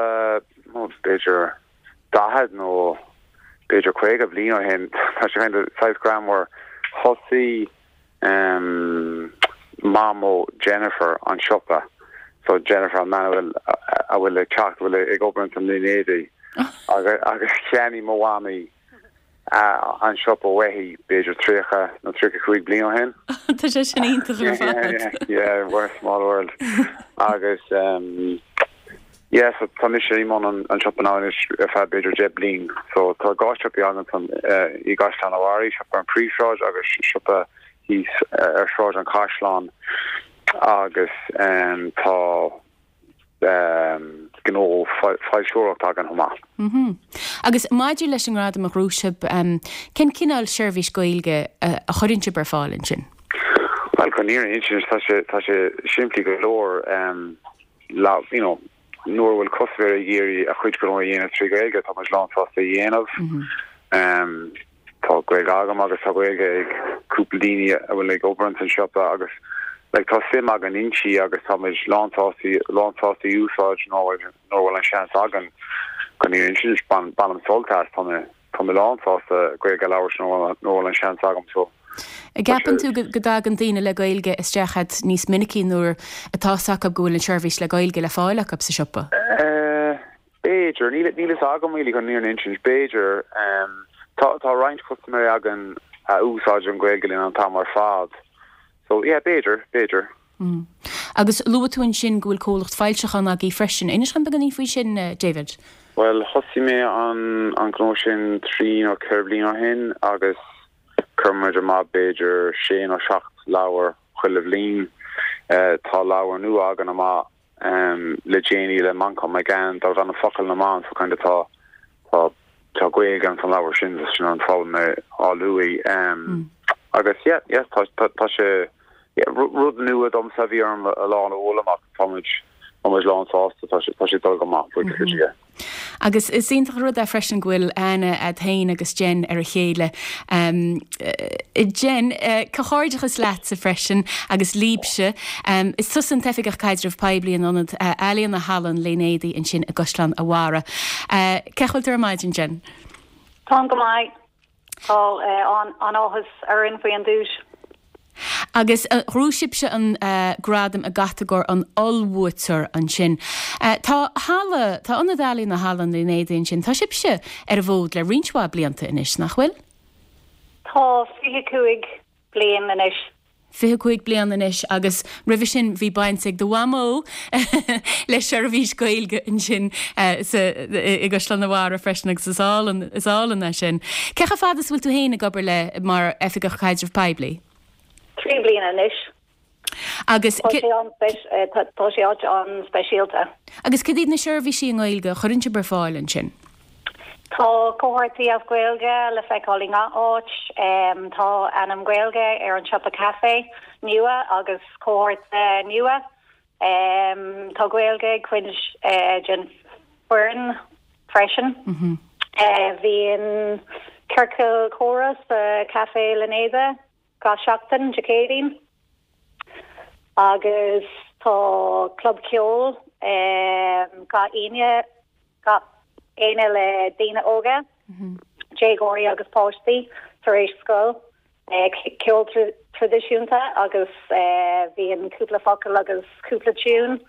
b'fhéidir daichead nó b'fhéidir caoga bliain ó shin. Tá sé kind of saghas greannmhar. Thosaigh Mamó Jennifer an siopa. So Jennifer an bhean a bhfuil a bhfuil ag teacht, a bhfuil ag obair ins an Línéadaigh agus cheannaigh mo mhamaí an siopa uaithi b'fhéidir tríocha nó tríocha cúig bliain ó shin. Tá sé sin iontach ar fad. Yeah, what a small world. Agus yeah, so tá mise i mbun an an siopa now anois ar feadh b'fhéidir deich bliain. So tá dhá siopaí againn san i gCaisleán an Bharraigh, siopa ar an phríomhshráid agus siopa thíos ar Shráid an Chaisleáin agus tá gnó foilsitheoireacht againn chomh maith. Agus maidir leis an ngradam a ghnóthaigh sibh, cén cineál seirbhís Gaeilge a chuireann sibh ar fáil ansin? Bhuel, chun an fhírinne a insint, tá sé tá sé simplí go leor. You know, nuair a bhfuil custaiméir ag iarraidh a chuid gnó a dhéanamh trí Ghaeilge, tá muid lánsásta a dhéanamh. Tá Gaeilge agam agus tá Gaeilge ag cúpla daoine a bhfuil ag obair ins an siopa agus like tá suim againn inti agus tá muid lánsásta lánsásta í úsáid nuair a bhfuil an seans againn chun an fhírinne a insint bainim sult as tá mé tá mé lánsásta Gaeilge a labhairt nuair a bhfuil an seans agam so An gceapann tú go dtagann daoine le Gaeilge isteach chugat níos minicí nuair atá fhios acu go bhfuil an seirbhís le Gaeilge le fáil acu sa siopa? B'fhéidir. Níl níl fhios agam really chun an fhírinne a insint. B'fhéidir. Tá tá roinnt custaiméirí againn a úsáideann Gaeilge linn an t-am ar fad. So yeah, b'fhéidir, b'fhéidir. Agus luaigh tú ansin go bhfuil comhlacht foilseachán agaibh freisin. Inis dhom beagáinín faoi sin, David. Bhuel, thosaigh mé an an gnó sin trí nó ceithre bliana ó shin agus cuireann muid amach b'fhéidir sé nó seacht leabhar chuile bhliain. Tá leabhar nua againn amach le déanaí le Manchán Magan darb ainm Focail na mBan so kind of tá tá tá Gaeilge an san leabhar sin sin an fáth mé á lua. Agus yeah yeah tá tá tá sé yeah rud nua domsa a bhí orm a lán a fhoghlaim ach tá muid tá muid lán sásta tá sé tá sé dul go maith buíochas le Dia. Agus is iontach an rud é freisin go bhfuil aithne agat féin agus Jen ar a chéile. Jen, comhghairdeachas leatsa freisin agus libhse. Is tusa an tOifigeach Caidreamh Poiblí in Ionad Ealaíona Halla an Línéadaigh ansin i gCaisleán a' Bharraigh. Cén chaoi a bhfuil tú ar maidin, Jen? Táim go maith. Tá an-áthas orainn faoi an duais. Agus ghnóthaigh sibhse an gradam i gcatagóir an ollbhuaiteoir ansin. Tá halla, tá Ionad Ealaíona Halla an Línéadaigh ansin, tá sibhse ar an bhfód le roinnt mhaith blianta anois, nach bhfuil? Tá fiche cúig bliain anois. fiche cúig bliain anois agus roimhe sin bhí baint ag do mhamó le seirbhís Gaeilge ansin sa i gCaisleán an Bharraigh freisin agus is álainn is álainn é sin. Cé chomh fada is bhfuil tú féin ag obair le mar Oifigeach Caidrimh Poiblí? Trí bliana anois. Agus Tá sé an tá sé áit an-speisialta. Agus cad iad na seirbhísí i nGaeilge a chuireann sibh ar fáil ansin? Tá comharthaí as Gaeilge le feiceáil i ngach áit, tá ainm Gaeilge ar an siopa caife nua agus comhartha nua. Tá Gaeilge ag cuid den foireann freisin. Bíonn ciorcal comhrá sa Café Línéadaigh gach seachtain Dé Céadaoin agus tá club ceoil gach Aoine gach Aoine le daoine óga, déagóirí agus páistí tar éis scoil, ceol traidisiúnta agus bíonn cúpla focal agus cúpla tiún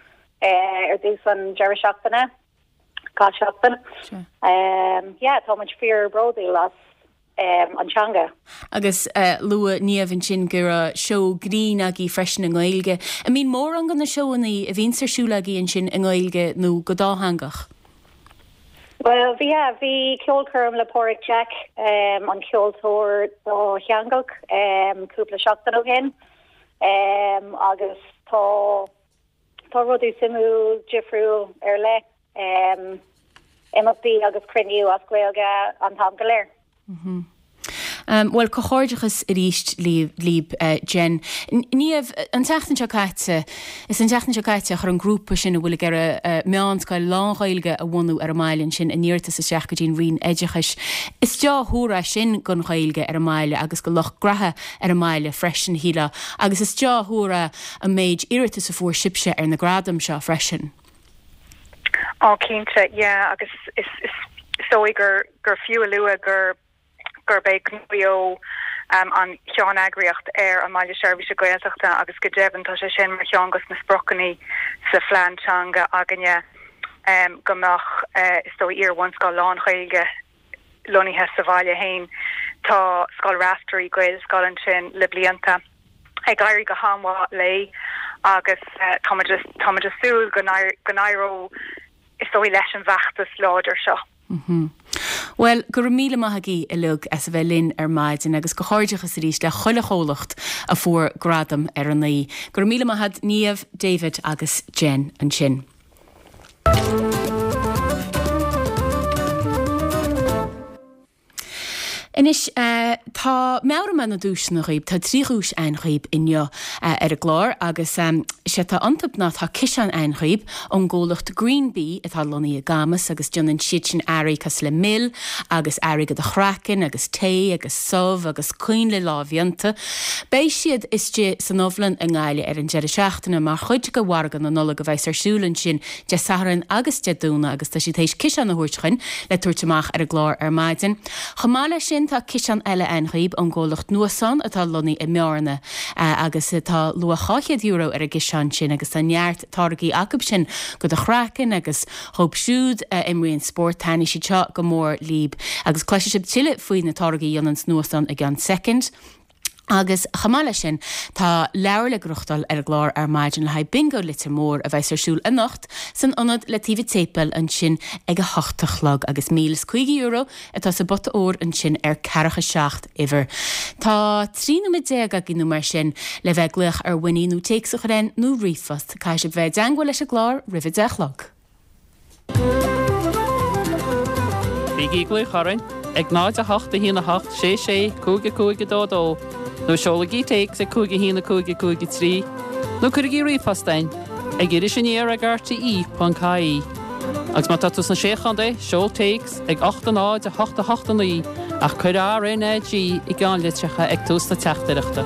ar dtús an deireadh seachtaine, gach seachtain. Yeah, tá muid fíor bródúil as an teanga. Agus luaigh Niamh ansin go raibh seó grinn agaibh freisin i nGaeilge. An mbíonn mórán de na seóanna a bhíonns ar siúl agaibh ansin i nGaeilge nó go dátheangach? Bhuel, bhí, yeah, bhí ceolchoirm le Páraic Jack, an ceoltóir dátheangach, cúpla seachtain ó shin agus tá tá rudaí suimiúil difriúil ar leith, imeachtaí agus cruinniú as Gaeilge an t-am go léir. Bhuel, comhghairdeachas arís libh, Jen. Niamh, an tseachtain seo caite, is an tseachtain seo caite a chuir an grúpa sin a bhfuil ag iarraidh meánscoil lán-Ghaeilge a bhunú ar an mbaile ansin a n-iarratas isteach go dtí an Roinn Oideachais. Is deá-thuar é sin don Ghaeilge ar an mbaile agus do lucht graithe ar an mbaile freisin, shílfeá. Agus is deá-thuar é an méid iarratas a fuair sibhse ar na gradaim seo freisin. Á, cinnte, yeah, agus is is dóigh gur gur fiú a lua gur gurb é Gnó Beo an cheanneagraíocht ar an mBaile Seirbhíse Gaeltachta agus go deimhin tá sé sin mar cheann dos na spriocanna sa phlean teanga againne go mbeadh is dóigh iar-bhunscoil lán-Ghaeilge lonnaithe sa bhaile féin. Tá Scoil Raifteirí, Gaelscoil ansin le blianta, ag éirí go han-mhaith léi agus táimid táimid ag súil go n-éireoidh is dóigh leis an bhfeachtas láidir seo. Bhuel, go raibh míle maith agaibh uilig as a bheith linn ar maidin agus comhghairdeachas arís le chuile chomhlacht a fuair gradam ar an oíche. Go raibh míle maith agat Niamh, David agus Jen ansin. Anois, tá meabhróidh mé na duaiseanna dhaoib, tá trí dhuais a'inn dhaoib inniu ar an gclár agus sé atá iontu ná tá ciseán a'inn dhaoib ón gcomhlacht Green Bee atá lonnaithe i gCamus agus déanann siad sin earraí cosúil le mil agus earraí do do chraiceann agus tae agus subh agus coinnle lámhdhéanta. Beidh siad istigh san Ubhlann i nGaillimh ar an deireadh seachtaine mar chuid de mhargadh na Nollag a bheas ar siúl ansin Dé Sathairn agus Dé Domhnaigh agus tá siad théis ciseán a thabhairt chugainn le tabhairt amach ar an gclár ar maidin. Chomh maith leis sin tá ciseán eile a'inn dhaoib ón gcomhlacht Nuasán atá lonnaithe i mBearna agus tá luach dhá chéad euro ar an gciseán sin agus tá neart táirgí acu sin do do chraiceann agus dhóibh siúd a imríonn spórt taitneoidh siad seo go mór líb agus cloisfidh sibh tuilleadh faoi na táirgí a dhéananns Nuasán i gceann soicind. Agus chomh maith leis sin, tá leabhar le gnóthachtáil ar an gclár ar maidin le haghaidh Bingo Leitir Móir a bheas ar siúl anocht san ionad le taobh an tséipéil ansin ag a hocht a chlog agus míle is caoga euro atá sa bpota óir ansin ar ceathracha seacht uimhir. Tá trí nóiméad déag againn nó mar sin le bheith ag glaoch ar Winnie nó téacs a chur chugainn nó ríomhphost. Caithfidh sibh bheith i dteangmháil leis an gclár roimh a deich a chlog. Bígí ag glaoch orainn ag náid a hocht a haon a hocht sé sé cúig a cúig a dó dó nó seolaigí téacs ag cúig a haon a cúig a cúig a trí nó cuirigí ríomhphost chugainn ag iris aniar ag R T E ponc I E. Agus má tá tú sna Sé Chontae, seol téacs ag ocht a náid a hocht a hocht a naoi ach cuir R N A G i gceannlitreacha ag tús na teachtaireachta.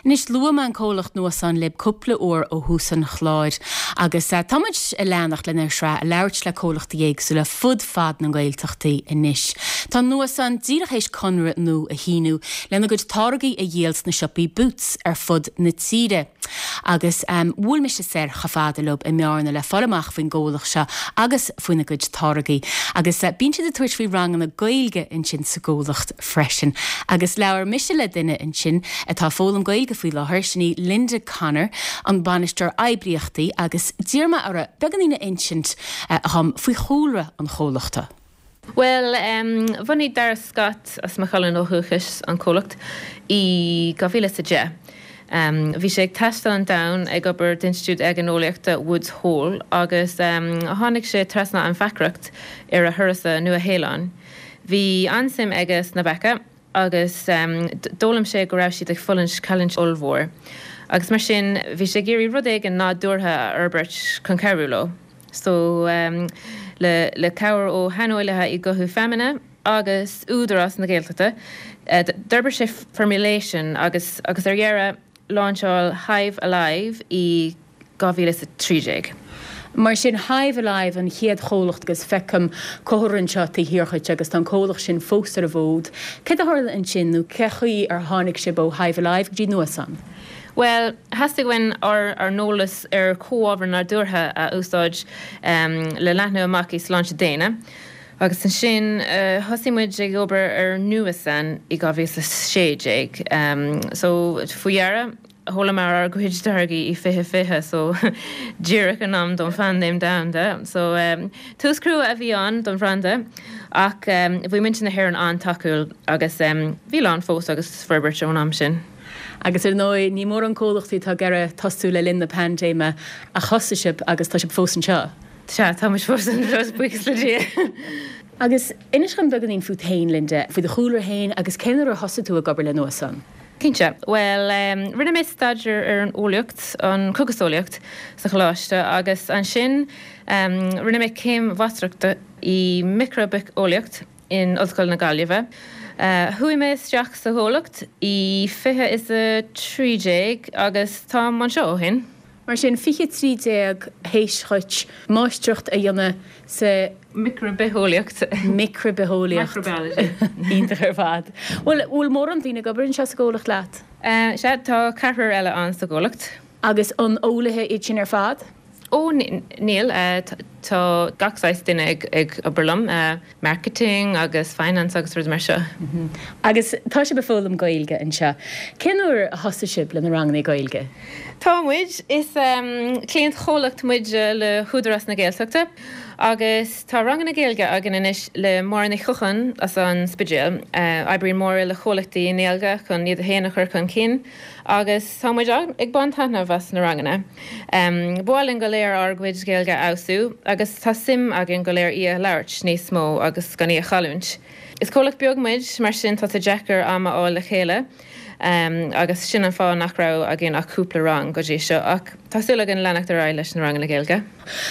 Anois luaigh mé an comhlacht Nuasan libh cúpla uair ó thús an chláir agus eh, táimid ag leanacht lenár sraith ag labhairt le comhlachtaí éagsúla fud fad na Gaeltachtaí anois. Tá Nuasan díreach théis conradh nua a shíniú lena gcuid táirgí a dhíol sna siopaí Boots ar fud na tíre. Agus um, bhuail mise soir chomh fada leo i mBearna le fáil amach faoin gcomhlacht seo agus faoina gcuid táirgí. Agus uh, bíonn siad ag tabhairt faoi ranganna Gaeilge ansin sa gcomhlacht freisin. Agus labhair mise le duine ansin atá ag foghlaim Gaeilge faoi láthair sin í Linda Connor an bainisteoir oibríochtaí agus d'iarr mé uirthi beagáinín a insint uh, dhom faoi chúlra an chomhlachta. Well, um, bhunaigh Dara Scott as Maigh Cuilinn ó dhúchas an comhlacht i dhá mhíle a deich. Um, bhí sé ag taisteal an domhan ag obair d'Institiúid Orgánólaíochta Woods Hole agus um, tháinig sé trasna an bheachaireacht ar a thuras sa Nua-Shéalainn. Bhí an-suim aige sna beacha agus um, d'fhoghlaim sé go raibh siad ag fulaingt cailliúint ollmhór. Agus mar sin bhí sé ag iarraidh rud éigin nádúrtha a fhorbairt chun cabhrú leo. So um, le, le cabhair ó shaineolaithe i gcothú feamainne agus Údarás na Gaeltachta, uh, d'fhorbair sé formulation agus agus ar dheireadh lainseáil Hive Alive i dhá mhíle a trí déag. Mar sin Hive Alive an chéad chomhlacht agus feicim comhartha anseo taobh thiar dhuit agus tá an comhlacht sin fós ar an bhfód. Cé a tharla ansin nó cén chaoi ar tháinig sibh ó Hive Alive go dtí Nuasan? Well, theastaigh uainn ár ár n-eolas ar chomhábhair nádúrtha a úsáid um, le leathnú amach i sláinte daonna. Agus ansin uh, thosaigh muid ag obair ar Nuasan i dhá mhíle sé déag. Um, so faoi dheireadh sheolamar ár gcuid táirgí i fiche fiche so díreach in am don phaindéim domhanda. So um, tús crua a bhí ann don bhranda ach um, bhí muintir na hÉireann an-tacúil agus um, bhí lán fós agus forbairt ón am sin. Agus ar ndóigh ní mórán comhlachtaí atá ag iarraidh tosú le linn na paindéime a thosaigh sibh agus tá sibh fós anseo. Sea tá muid fós anseo buíochas le Dia. Agus inis dom beagáinín fút féin Linda, faoi do chúlra féin agus cén uair a thosaigh tú ag obair le Nuasan. Cinnte, well um, rinne mé staidéar ar an eolaíocht an chógaseolaíocht sa choláiste agus ansin um, rinne mé céim mháistreachta i micribhitheolaíocht in Ollscoil na Gaillimhe. Uh, Chuaigh mé isteach sa chomhlacht i fiche is a trí déag agus tá anseo ó shin. Mar sin fiche trí déag théis duit máistreacht a dhéanamh sa Micribhitheolaíocht. Micribhitheolaíocht. Iontach ar fad. Bhfuil bhfuil mórán daoine ag obair anseo sa gcomhlacht leat? Uh, sea tá ceathrar eile ann sa gcomhlacht. Agus an eolaithe iad sin ar fad? Ó níl uh, tá gach saghas duine ag, ag obair liom, uh, marketing agus finance agus rud mar seo. Mm -hmm. Agus tá sibh ag foghlaim Gaeilge anseo. Cén uair a thosaigh sibh le na ranganna Gaeilge? Tá muid is um, cliantchomhlacht muid le hÚdarás na Gaeltachta agus tá ranganna Gaeilge againn anois le Máire Ní Chocháin as an Spidéal. Uh, Oibríonn Máire le comhlachtaí i nGaeilge chun iad féin a chur chun cinn agus tá muid ag baint taitneamh as na ranganna. Um, Ba mhaith linn go léir ár gcuid Gaeilge a fheabhsú agus tá suim againn go léir í a labhairt níos mó agus gan í a chailliúint. Is comhlacht beag muid mar sin tá sé deacair am a fháil le chéile. Um, agus sin an fáth nach raibh againn ach cúpla rang go dtí seo ach tá súil againn leanacht ar aghaidh leis na ranganna Gaeilge.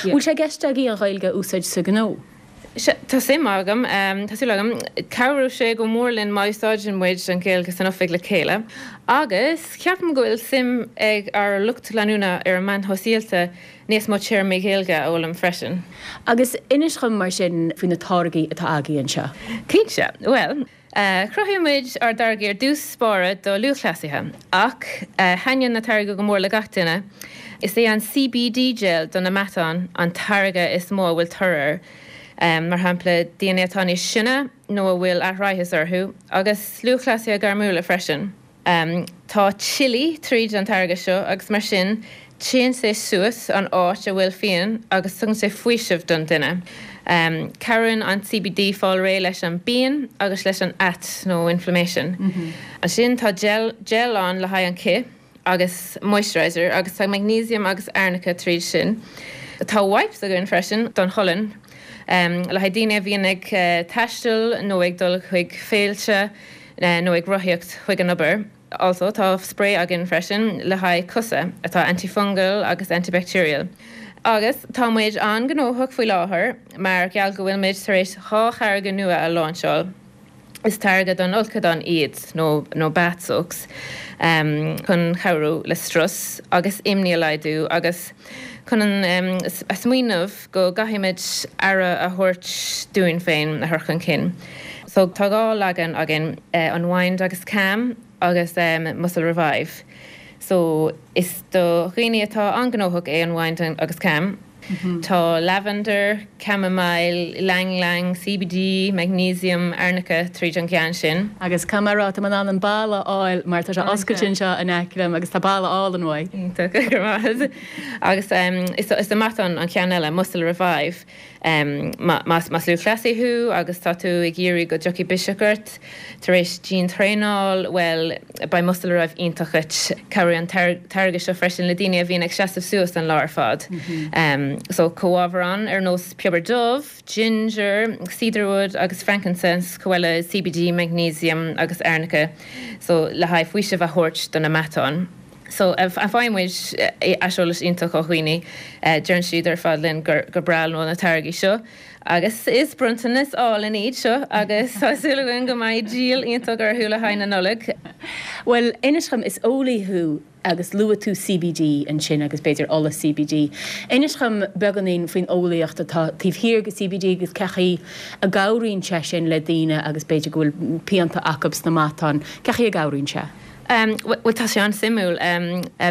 Bhfuil sé i gceist agaibh an Ghaeilge a úsáid sa ghnó? Tá suim agam tá súil agam cabhróidh sé go mór linn má úsáideann muid an Ghaeilge san oifig le chéile. Agus ceapaim go bhfuil suim ag ár lucht leanúna ar an meáin shóisialta níos mó téarmaí Gaeilge a fhoghlaim freisin. Agus inis dom mar sin faoi na táirgí atá agaibh anseo. Cinnte, well, Uh, Chruthaigh muid ár dtáirgí ar dtús báire do lúthchleasaithe, ach uh, thaitníonn na táirgí go mór le gach duine. Is é an CBD gel do na matáin an táirge is mó a bhfuil tóir air. Um, mar shampla daoine atá níos sine nó a bhfuil aithris orthu, agus lúthchleasaithe gairmiúla freisin. Um, tá chili tríd an táirge seo agus mar sin téann sé suas an áit a bhfuil phian agus tugann sé faoiseamh don duine. Um, Cabhraíonn an CBD fáil réidh leis an bpian agus leis an at nó inflammation. Mm -hmm. Ansin tá gel, gel ann le haghaidh an cith agus moisturizer agus tá magnesium agus arnica tríd sin. Tá wipes againn freisin don cholainn. Um, le haghaidh daoine a bhíonn ag uh, taisteal nó ag dul chuig féilte uh, nó ag rothaíocht chuig an obair. Also tá spray againn freisin le haghaidh cosa atá antifungal agus antibacterial. Agus tá muid an-ghnóthach faoi láthair mar gheall go bhfuil muid tar éis dhá tháirge nua a lainseáil. Is táirge don fholcadán iad, nó nó bath soaks, chun cabhrú le strus agus imní a laghdú agus chun an smaoineamh go gcaithfimid aire a thabhairt dúinn féin a chur chun cinn. So tá dhá leagan againn, Unwind agus Calm agus Muscle Revive. So is do dhaoine atá an-ghnóthach é Unwind agus Calm. Tá lavender, chamomile, ylang ylang, CBD, magnesium, arnica tríd an gceann sin. Agus caithfidh mé a rá, tá mé in ann an boladh a fháil mar tá sé oscailte anseo in aice liom agus tá boladh álainn uaidh. Iontach, go raibh maith agat. Agus is do matáin an ceann eile, Muscle Revive. Más lúthchleasaí thú agus tá tú ag iarraidh go dtiocfaidh biseach ort tar éis diantraenáil, bhuel, beidh Muscle Revive iontach duit. Cabhraíonn an táirge seo freisin le daoine a bhíonn ag seasamh suas an lá ar fad. So, comhábhair ann ar nós piobar dubh, ginger, cedarwood agus frankincense, chomh maith le CBD, magnesium agus arnica, so le haghaidh faoiseamh a thabhairt do na matáin. So, faigheann muid aiseolas iontach ó dhaoine. Deireann siad ar fad linn gur breá leo na táirgí seo. Agus is bronntanas álainn iad seo agus tá súil againn go mbeidh díol iontach orthu le haghaidh na Nollag. Bhuel, inis dhom, is eolaí thú agus luaigh tú CBD ansin agus b'fhéidir ola CBD. Inis dhom beagáinín faoin eolaíocht atá taobh thiar de CBD agus cé chaoi a gcabhraíonn sé sin le daoine agus b'fhéidir go bhfuil pianta acu sna matáin, cé chaoi a gcabhraíonn sé? Bhuel, tá sé an-suimiúil.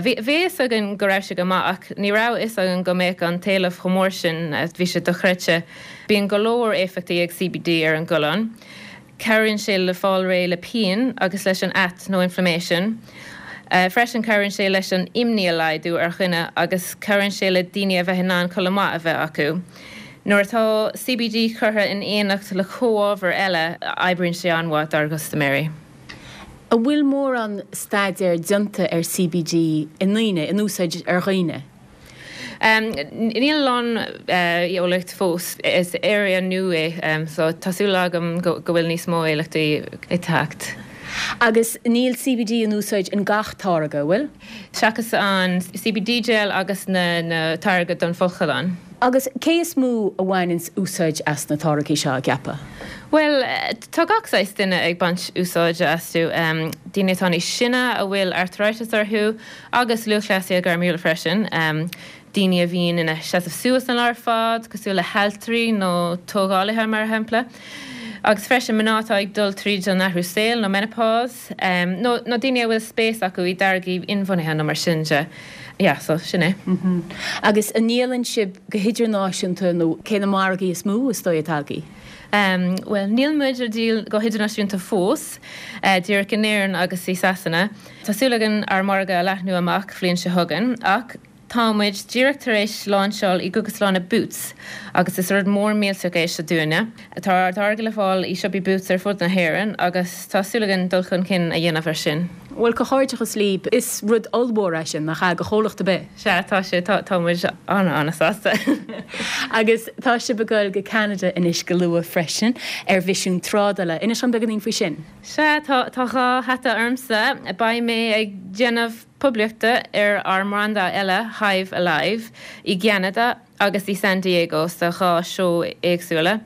Bhí a fhios againn go raibh sé go maith ach ní raibh a fhios againn go mbeadh an t-éileamh chomh mór sin, bhí sé dochreidte. Bíonn go leor éifeachtaí ag CBD ar an gcolainn. Cabhraíonn sé le fáil réidh le pian agus leis an at nó inflammation. Freisin cabhraíonn sé leis an imní a laghdú ar dhuine agus cabhraíonn sé le daoine a bheith in ann codladh maith a bheith acu. Nuair atá CBD curtha in éineacht le comhábhair eile, oibríonn sé an-mhaith dár gcustaiméirí. An bhfuil mórán staidéar déanta ar CBD i ndaoine, in úsáid ar dhaoine? Níl a lán eolaíocht fós. Is area nua é so tá súil agam go bhfuil níos mó eolaíochtaí ag teacht. Agus níl CBD in úsáid in gach táirge, an bhfuil? Seachas an CBD gel agus na táirge don fholcadán. Agus cé is mó a bhaineanns úsáid as na táirgí seo, an gceapfá? Bhuel, tá gach saghas duine ag baint úsáide astu, daoine atá níos sine, a bhfuil arthritis orthu, agus lúthchleasaithe gairmiúla freisin, daoine a bhíonn ina seasamh suas an lá ar fad, cosúil le haltraí nó tógálaithe mar shampla, agus freisin mná atá ag dul tríd an athrú saoil nó menopause, nó daoine a bhfuil spéis acu i dtáirgí inbhuanaithe nó mar sin de. Yeah, so sin é. Agus an ndíolann sibh go hidirnáisiúnta nó cé na margaí is mó is dóigh atá agaibh? Bhuel, níl muid ag díol go hidirnáisiúnta fós, díreach in Éirinn agus i Sasana. Tá súil againn ár margadh a leathnú amach bhliain seo chugainn, ach tá muid díreach tar éis láinseáil i gcógaslanna Boots agus is rud mór millteach é seo dúinne. Tá ár dtáirge le fáil i siopaí Boots ar fud na hÉireann agus tá súil againn dul chun cinn a dhéanamh air sin. Bhuel, comhghairdeachas libh. Is rud ollmhór é sin, nach ea, do chomhlacht ar bith? Sea, tá sé. Tá, tá muid an-an-sásta. Agus tá sibh ag goil go Ceanada anois go luath freisin, ar mhisiún trádála. Inis dom beagáinín faoi sin. Sea, tá, tá dhá hata ormsa. Beidh mé ag déanamh poiblíochta ar ár mbranda eile, Hive Alive, i gCeanada agus i San Diego sa dhá seó éagsúla.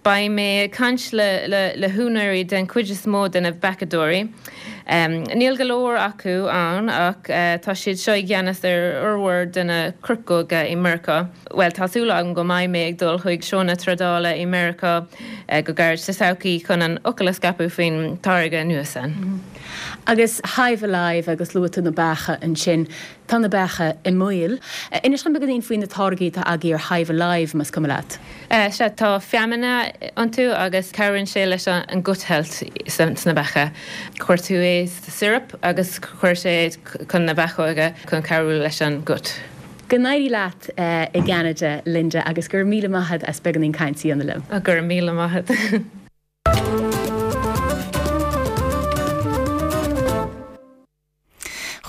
Beidh mé ag caint le le húinéirí den chuid is mó de na beachadóirí. Níl go leor acu ann ach tá siad seo i gceannas ar fhormhór de na coirceoga i Meiriceá. Bhuel, tá súil agam go mbeidh mé ag dul chuig seónna trádála i Meiriceá go gairid sa todhchaí chun an fhocal a scaipeadh faoin táirge nua san. Agus Hive Alive agus luaigh tú na beacha ansin, tá na beacha i mbaol. Inis dom beagáinín faoi na táirgí atá agaibh ar Hive Alive, más cuma leat. Sea, tá feamainne iontu agus cabhraíonn sé leis an gut health sna beacha. Cuir tú é sa syrup agus cuir sé chun na beachóga chun cabhrú leis an gut. Go n-éirí leat i gCeanada, Linda, agus go raibh míle maith agat as beagáinín cainte a dhéanamh liom. Go raibh míle maith agat.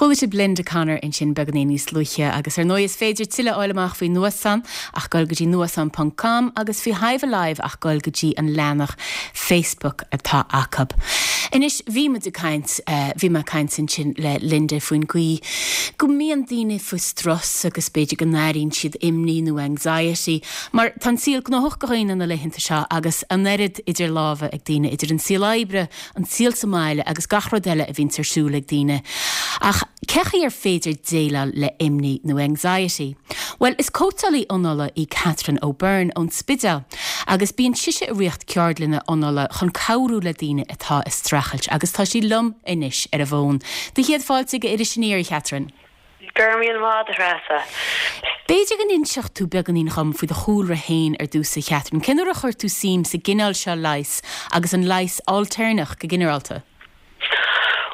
Chuala Chuala sibh Linda Connor ansin beagáinín níos luaithe agus ar ndóigh is féidir tuilleadh a fháil amach faoi Nuasán ach dul go dtí nuasán ponc com agus faoi Hive Alive ach dul go dtí an leathanach Facebook atá acu. Anois bhí muid ag caint, bhí mé ag caint ansin le Linda faoin gcaoi go mbíonn daoine faoi strus agus b'fhéidir go n-airíonn siad imní nó anxiety mar tá an saol gnóthach do dhaoine na laethanta seo agus an oiread idir lámha ag daoine idir an saol oibre, an saol sa mbaile agus gach rud eile a bhíonn ar siúl ag daoine. Ach cé chaoi ar féidir déileáil le imní nó anxiety? Bhuel, is cóitseálaí anála í Catherine O'Byrne ón Spidéal agus bíonn sise ag rith ceardlanna anála chun cabhrú le daoine atá ag streachailt agus tá sí liom anois ar an bhfón. Do chéad fáilte go Iris Aniar, a Chatherine. Go raibh míle maith agat, a Threasa. B'fhéidir go n-inseodh tú beagáinín dhom faoi do chúlra féin ar dtús, a Chatherine. Cén uair a chuir tú suim sa gcineál seo leighis agus an leigheas ailtéarnach go ginearálta?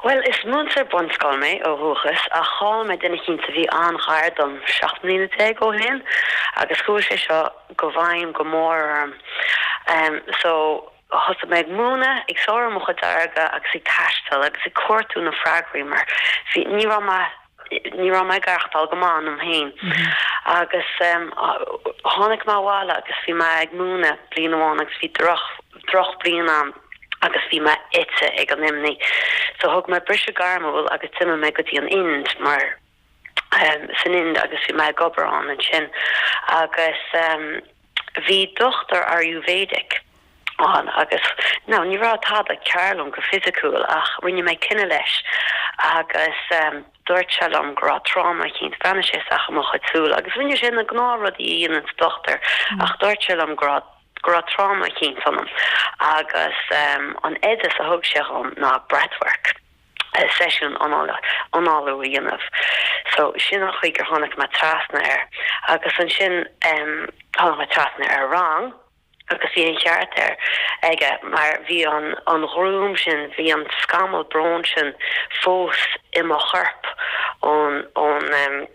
Bhuel, is múinteoir bunscoile mé ó dhúchas ach chaill mé duine eicínt a bhí an-ghar dom seacht mbliana déag ó shin agus chuaigh sé seo go bhfeidhm go mór orm. So, thosaigh mé ag múineadh, ag saothrú mo chuid airgid agus ag taisteal agus ag cuartú na freagraí mar bhí, ní raibh mé, ní raibh mé ag aireachtáil go maith ionam féin. Agus tháinig mé abhaile agus bhí mé ag múineadh bliain amháin agus bhí droch, drochbhliain ann. agus bhí mé ite ag an imní. So thug mé briseadh gairmiúil agus d'imigh mé go dtí an Ind mar san Ind agus bhí mé ag obair ann ansin agus bhí dochtúir Ayurvedic ann agus now ní raibh tada cearr liom go fisiciúil ach rinne mé coinne leis agus dúirt sé liom go raibh tráma eicínt, bhreathnaigh sé isteach i mo chuid súl agus rinne sé na gnáthrudaí a dhéananns dochtúir ach dúirt sé liom go raibh go raibh tráma eicínt ionam agus an oideas a thug sé dhom ná breathwork, seisiún análú a dhéanamh. So sin an chaoi gur tháinig mé trasna air. Agus ansin tháinig mé trasna ar rang agus bhí an cheart air aige mar bhí an an ghruaim sin, bhí an scamall bróin sin fós i mo chorp ón ón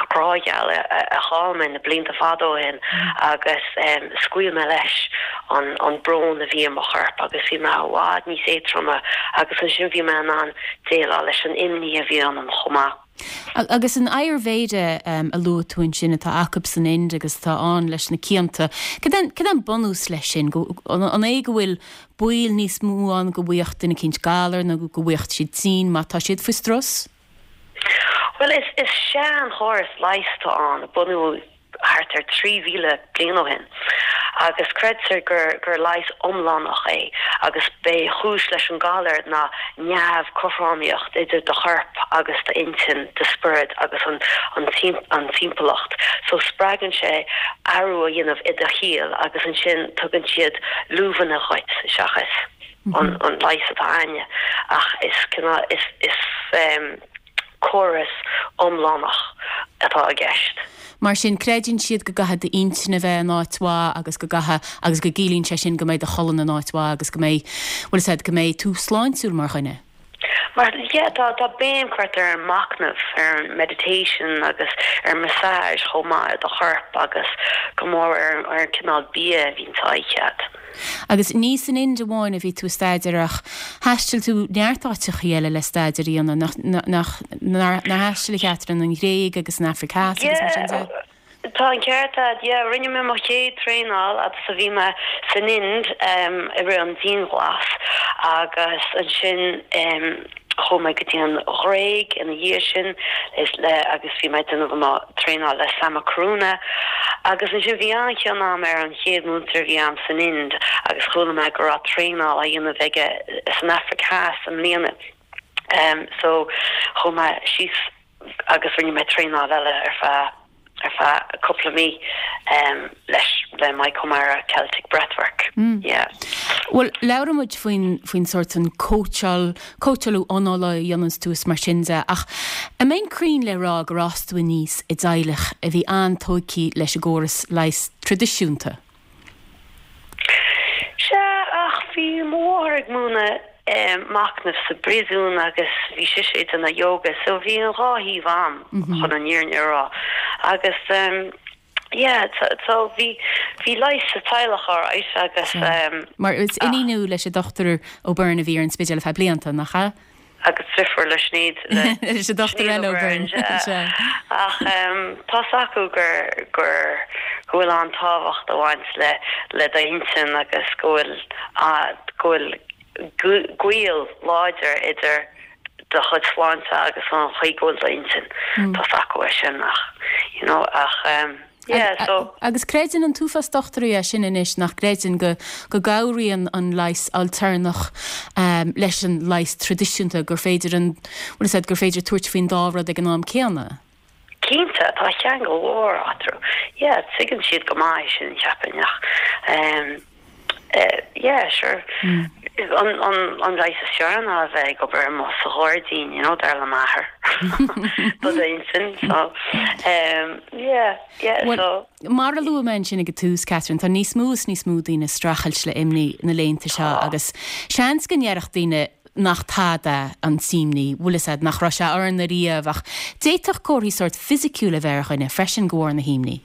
grá gheal a chaill mé na blianta fada ó shin agus scaoil mé leis an brón a bhí i mo chorp agus bhí mé i bhfad níos éadtroime agus ansin bhí mé in ann déileáil leis an imní a bhí ionam chomh maith. Agus an Ayurveda a luaigh tú ansin atá acu san Ind agus atá ann leis na cianta, cad é an bunús leis sin? An é go bhfuil baol níos mó ann go bhfaigheadh duine eicínt galar nó go bhfaigheadh siad tinn má tá siad faoi strus? Bhuel, is is seanchóras leighis atá ann, a bunaíodh thart ar trí mhíle bliain ó shin, agus creidtear gur gur leigheas iomlánach é agus b'é chúis leis an galar ná neamhchothromaíocht idir do chorp agus d'intinn, do spiorad agus an an an timpeallacht. So spreagann sé athrú a dhéanamh i do shaol agus ansin tugann siad luibheanna dhuit seachas an an leigheas atá a'inne ach is cineál is is córas iomlánach atá i gceist. Mar sin, creideann siad go gcaithfidh d'intinn a bheith in áit mhaith agus go gcaithfidh, agus go gciallaíonn sé sin go mbeidh do cholainn in áit mhaith agus go mbeidh, bhfuil 'fhios a'd, go mbeidh tú sláintiúil mar dhuine. Mar, yeah, tá, tá béim curtha ar an machnamh, ar an meditation agus ar massage chomh maith ar do chorp agus go mór ar, ar an cineál bia a bhíonn á ithe a'd. Agus ní san Ind amháin a bhí tú ag staidéar ach thaistil tú neart áiteachaí eile le staidéar a dhéanamh, nach, nach, nár thaistil a Chatherine, an Ghréig agus an Afraic Theas agus mar sin de? Yeah, tá an ceart a'd, yeah, rinne mé mo chéad traenáil agus a bhí mé san Ind i rith an dianghlas agus ansin chuaigh mé go dtí an Ghréig ina dhiaidh sin is le agus bhí mé ag déanamh mo traenáil le Sama Karuna agus ansin bhí an-chion a'm ar an chéad múinteoir a bhí a'm san Ind agus chuala mé go raibh traenáil á dhéanamh aige san Afraic Theas i mbliana so chuaigh mé síos agus rinne mé traenáil eile ar feadh ar feadh cúpla mí leis le Mike O'Meara Celtic Breathwork yeah. Bhuel labhraigh muid faoin faoin sórt an cóitseáil cóitseálú anála a dhéananns tú is mar sin de ach an mbeinn cruinn le rá gur fhás tú aníos i dteaghlach a bhí an-tógtha leis an gcóras leighis traidisiúnta? Sea, ach bhí mo mháthair ag múineadh machnaimh sa bpríosún agus bhí sise ag déanamh yoga so bhí an dhá thaobh a'm chun an fhírinne a rá agus yeah so bhí bhí leigheas sa teaghlach alright agus Mar is iníon thú leis an Dochtúir O'Byrne a bhí ar an Spidéal ar feadh blianta, nach ea? agus deirfiúr le Sinéad le Dochtúir eile O'Byrne. Ach tá's acu gur gur go bhfuil an-tábhacht ag baint le le d'intinn agus go bhfuil go bhfuil gaol láidir idir do chuid sláinte agus an chaoi go bhfuil d'intinn. Tá's acu é sin ach you know ach yeah so. Agus creideann an t-uafás dochtúirí é sin anois nach gcreideann go go gcabhraíonn an leigheas ailtéarnach leis an leigheas traidisiúnta gur féidir an bhfuil fhios a'd gur féidir tabhairt faoin dá rud ag an am céanna? Cinnte, tá ceangal mhór eatarthu. Yeah, tuigeann siad go maith é sin, cheapfainn ach yeah, sure. An an an leigheas is fearr ná a bheith ag obair amuigh sa ghairdín, you know, dar le m'athair. Do d'intinn, so um, yeah, yeah, Well, so. Mar a luaigh mé ansin ag an tús, Catherine, tá níos mó is níos mó daoine ag streachailt le imní na laethanta seo agus seans go ndéarfadh daoine nach tada an t-imní, bhfuil fhios a'd, nach raibh sé orainn ariamh ach d'fhéadfadh comharthaí sórt fisiciúil a bheith ar dhuine freisin de bharr na himní.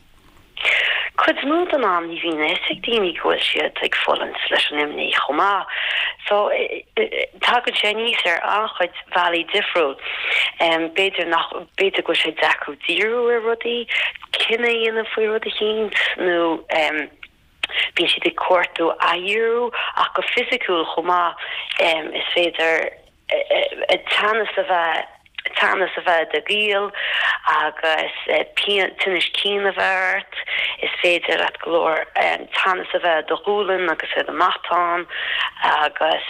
Cuid mhór den am ní bhíonn a fhios ag daoine go bhfuil siad ag fulaingt leis an imní chomh maith. So tagann sé aníos ar an-chuid bealaí difriúil. B'fhéidir nach, b'fhéidir go bhfuil sé deacair díriú ar rudaí, cinneadh a dhéanamh faoi rud eicínt nó bíonn siad ag cuartú athdhíriú ach go fisiciúil chomh maith is féidir teannas a bheith teannas a bheith i do ghiall agus pian tinneas cinn a bheith ort, is féidir leat go leor teannas a bheith i do ghualainn agus i do mhatán agus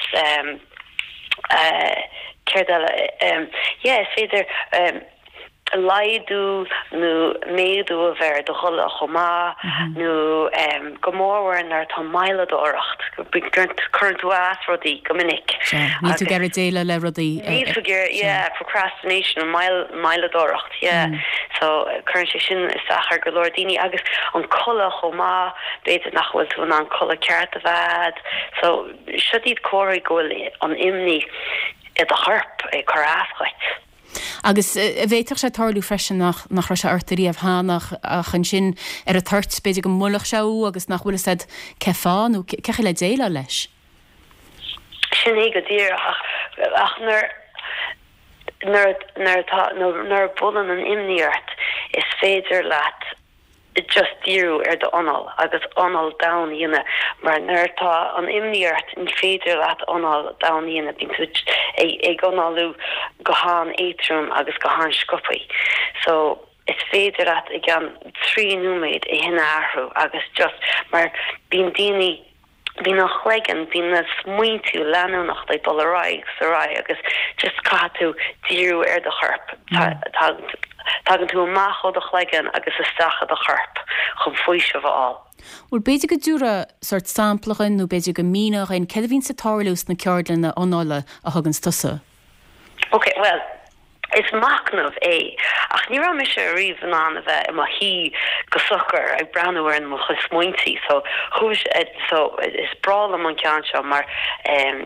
céard eile yeah is féidir laghdú nó méadú a bheith ar do ghoile chomh maith, nó go mórmhór nuair atá moilleadóireacht, cuireann tú as rudaí go minic. Sea, níl tú ag iarraidh déileáil le rudaí. Níl tú ag iarraidh, yeah, procrastination, moilleadóireacht, yeah. So, cuireann sé sin isteach ar go leor daoine agus an codladh chomh maith, b'fhéidir nach bhfuil tú in ann codladh ceart a bheith a'd. So, seo iad comharthaí go bhfuil an imní i do chorp ag cur as dhuit. Agus an bhféadfadh sé tarlú freisin nach nach raibh sé ort ariamh cheana ach ansin ar an toirt b'fhéidir go mbuailfeadh sé thú agus nach bhfuil fhios a'd cé fáth nó cé chaoi le déileáil leis. Sin é go díreach ach ach nuair nuair nuair atá nuair a bhuaileann an imní ort is féidir leat just díriú ar do anáil agus anáil domhain a dhéanamh mar nuair atá an imní ort ní féidir leat anáil domhain a dhéanamh, bíonn tú ag análú go han-éadtrom agus go han-sciobthaí. So is féidir leat i gceann trí nóiméad é sin a athrú agus just mar bíonn daoine Bíonn an chloigeann, bíonn na smaointí leanúnach ag dul ar aghaidh agus ar aghaidh agus just caithfidh tú díriú ar do chorp. Tagann tú amach ó do chloigeann agus isteach i do chorp chun faoiseamh a fháil. Bhuel, b'fhéidir go dtabharfá sórt sampla dhuinn nó b'fhéidir go míneofá dhuinn céard a bhíonns ag tarlú sna ceardlanna anála a thuganns tusa? Ok, bhuel, is machnamh é, ach ní raibh mise ariamh in ann a bheith i mo shuí go socair ag breathnú ar mo chuid smaointí, so chuaigh, so is breá liom an ceann seo mar em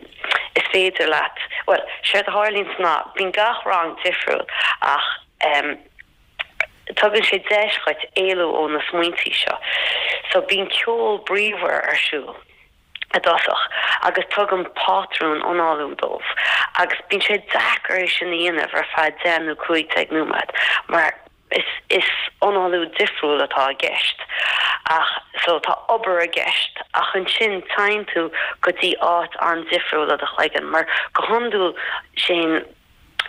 is féidir leat, bhuel, séard a tharlaíonns ná bíonn gach rang difriúil ach em tugann sé deis dhuit éalú ó na smaointí seo, so bíonn ceol bríomhar ar siúl. i dtosach agus tugaim pátrún análú dóibh agus bíonn sé deacair é sin a dhéanamh ar feadh deich nó cúig déag nóiméad mar is is análú difriúil atá i gceist ach so tá obair i gceist ach ansin téann tú go dtí áit an-difriúil i do chloigeann mar go hiondúil sé'n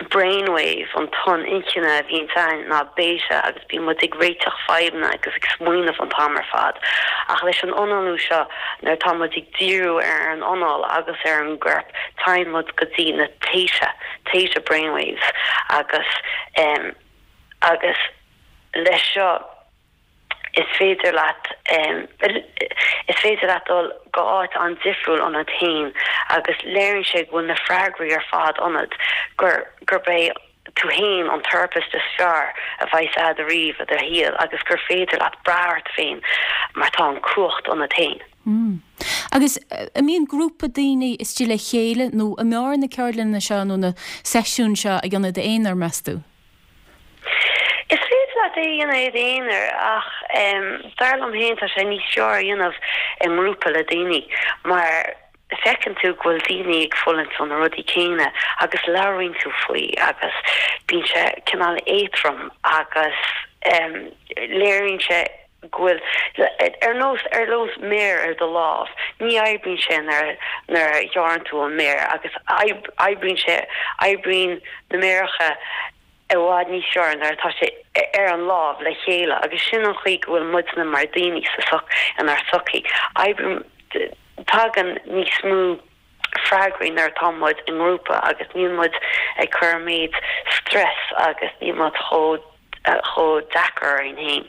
brainwave, an tonn inchinne a bhíonns ann ná beta agus bíonn muid ag réiteach fadhbanna agus ag smaoineamh an t-am ar fad. Ach leis an análú seo, nuair atá muid ag díriú ar an anáil agus ar an gcorp, téann muid go dtí na theta, theta brainwaves agus em agus leis seo, is féidir leat is féidir leat dul go áit an-difriúil ionat féin agus léiríonn sé go bhfuil na freagraí ar fad ionat, gur gurb é tú féin an therapist is fearr a bheas a'd ariamh i do shaol agus gur féidir leat brath ort féin mar tá an cumhacht ionat féin. Agus an mbíonn grúpa daoine istigh le chéile nó an mb'fhearr na ceardlanna seo nó na seisiúin seo a dhéanamh i d'aonar, meas tú? Is féidir leat é a dhéanamh i d'aonar ach dar liom féin tá sé níos fearr a dhéanamh i ngrúpa le daoine mar feiceann tú go bhfuil daoine ag fulaingt ó na rudaí céanna agus labhraíonn tú faoi agus bíonn sé cineál éadrom agus léiríonn sé go bhfuil, ar nós, ar nós méar ar do lámh, ní oibríonn sé nuair nuair a ghearrann tú an méar agus oibríonn sé, oibríonn na méaracha i bhfad níos fearr nuair atá sé ar an lámh le chéile agus sin an chaoi go bhfuil muidne mar daoine sa soc, inár sochaí. Oibríonn, tagann níos mó freagraí nuair atá muid i ngrúpa agus níl muid ag cur an méid stress agus níl muid chomh chomh deacair orainn féin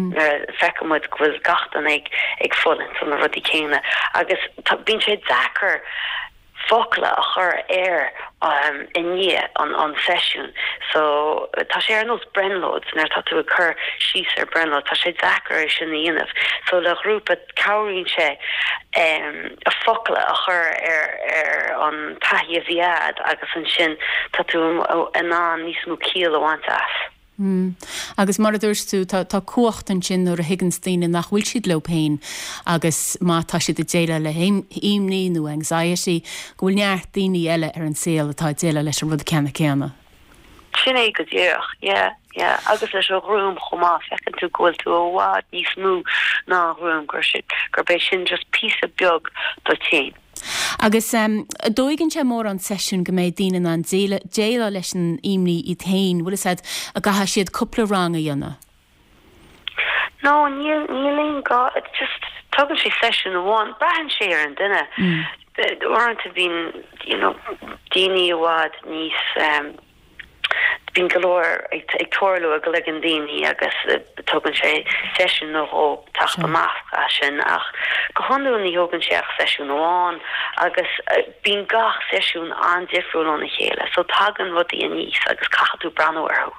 nuair a feiceann muid go bhfuil gach duine ag ag fulaingt ó na rudaí céanna agus tá bíonn sé deacair focla a chur air i ndiaidh an an seisiún so tá sé ar nós brionglóid nuair atá tú ag cur síos ar brionglóid tá sé deacair é sin a dhéanamh so le grúpa cabhraíonn sé focla a chur ar ar an taithí a bhí a'd agus ansin tá tú in ann níos mó ciall a bhaint as. Mm. Agus mar a dúirt tú, tá tá cumhacht ansin nuair a thuigeanns daoine nach bhfuil siad leo féin agus má tá siad ag déileáil le himní nó anxiety, go bhfuil neart daoine eile ar an saol atá ag déileáil leis an rud ceanna céanna. Sin é go díreach, yeah, yeah. Agus leis an ghruaim chomh maith, feiceann tú go bhfuil tú i bhfad níos mó ná an ghruaim, gur sin, gurb é sin just píosa beag duit féin. Agus an dtógann sé mórán seisiún go mbeidh daoine in ann déileáil leis an imní iad féin, bhfuil fhios a'd, an gcaithfidh siad cúpla rang a dhéanamh? No, níl, níl aon gá, just tógann sé seisiún amháin, braitheann sé ar an duine. Uaireanta bíonn, you know, daoine i bhfad níos, Bíonn go leor ag tarlú i gcloigeann daoine agus tógann sé seisiún nó dhó teacht amach as sin ach go hiondúil ní thógann sé ach seisiún amháin agus bíonn gach seisiún an-difriúil óna chéile so tagann rudaí aníos agus caithfidh tú breathnú orthu.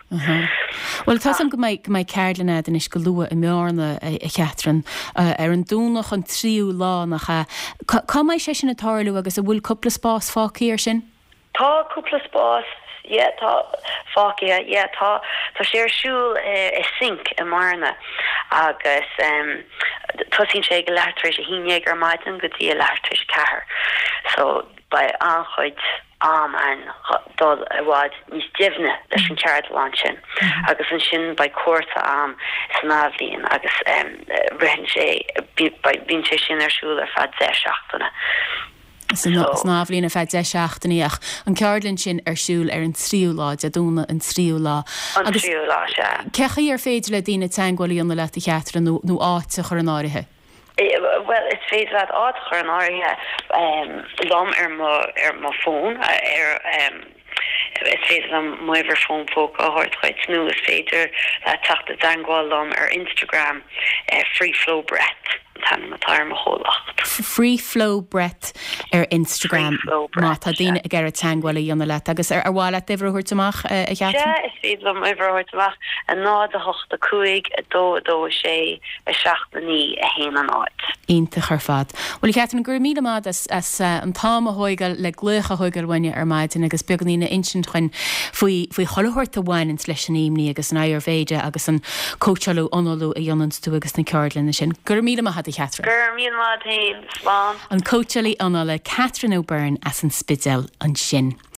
Bhuel tá 's a'm go mbeidh go mbeidh ceardlann a'd anois go luath i mBearna a Chatherine ar an Domhnach an tríú lá nach ea? Cá mbeidh sé sin ag tarlú agus an bhfuil cúpla spás fágtha ar sin? Tá cúpla spás, yeah, tá, fágtha, yeah, tá, tá sé ar siúl i Sync i mBearna agus tosaíonn sé ag a leathuair tar éis a haon dhéag ar maidin go dtí a leathuair tar éis a ceathair. So beidh an-chuid am ann dul i bhfad níos doimhne leis an cheardlann sin agus ansin beidh cúrsa a'm san athbhliain agus ritheann sé, bíonn sé sin ar siúl ar feadh deich seachtaine. San athbhliain ar feadh deich seachtainí ach an ceardlann sin ar siúl ar an tríú lá, Dé Domhnaigh an tríú lá. An tríú lá, sea. Cé chaoi ar féidir le daoine teagmháil a dhéanamh leat a Chatherine nó nó áit a chur in áirithe? Bhuel, is féidir leat áit a chur in áirithe liom ar mo ar mo fón ar is féidir liom m'uimhir fón póca a thabhairt dhuit nó is féidir leat teacht i dteagmháil liom ar Instagram Free Flow Breath. an t-ainm atá ar mo chomhlacht. Free Flow Breath ar Instagram má tá daoine ag iarraidh teagmháil a dhéanamh leat. Agus ar mhaith leat d'uimhir a thabhairt amach, a Chatherine? Sea, is féidir liom m'uimhir a thabhairt amach, a náid a hocht a cúig, a dó a dó a sé, a seacht a naoi, a haon a náid. Iontach ar fad. Bhuel, a Chatherine, go raibh míle maith agat as an t-am a thógáil le glaoch a thógáil uainne ar maidin agus beagáinín a insint dhuinn faoi faoi chuile shórt a bhaineanns leis an imní agus an Ayurveda agus an cóitseálú análú a dhéananns tú agus na ceardlanna sin. Go raibh míle maith agat, a Chatherine. Go raibh míle maith agat féin. Slán. An cóitseálaí anála Catherine O'Byrne as an Spidéal ansin.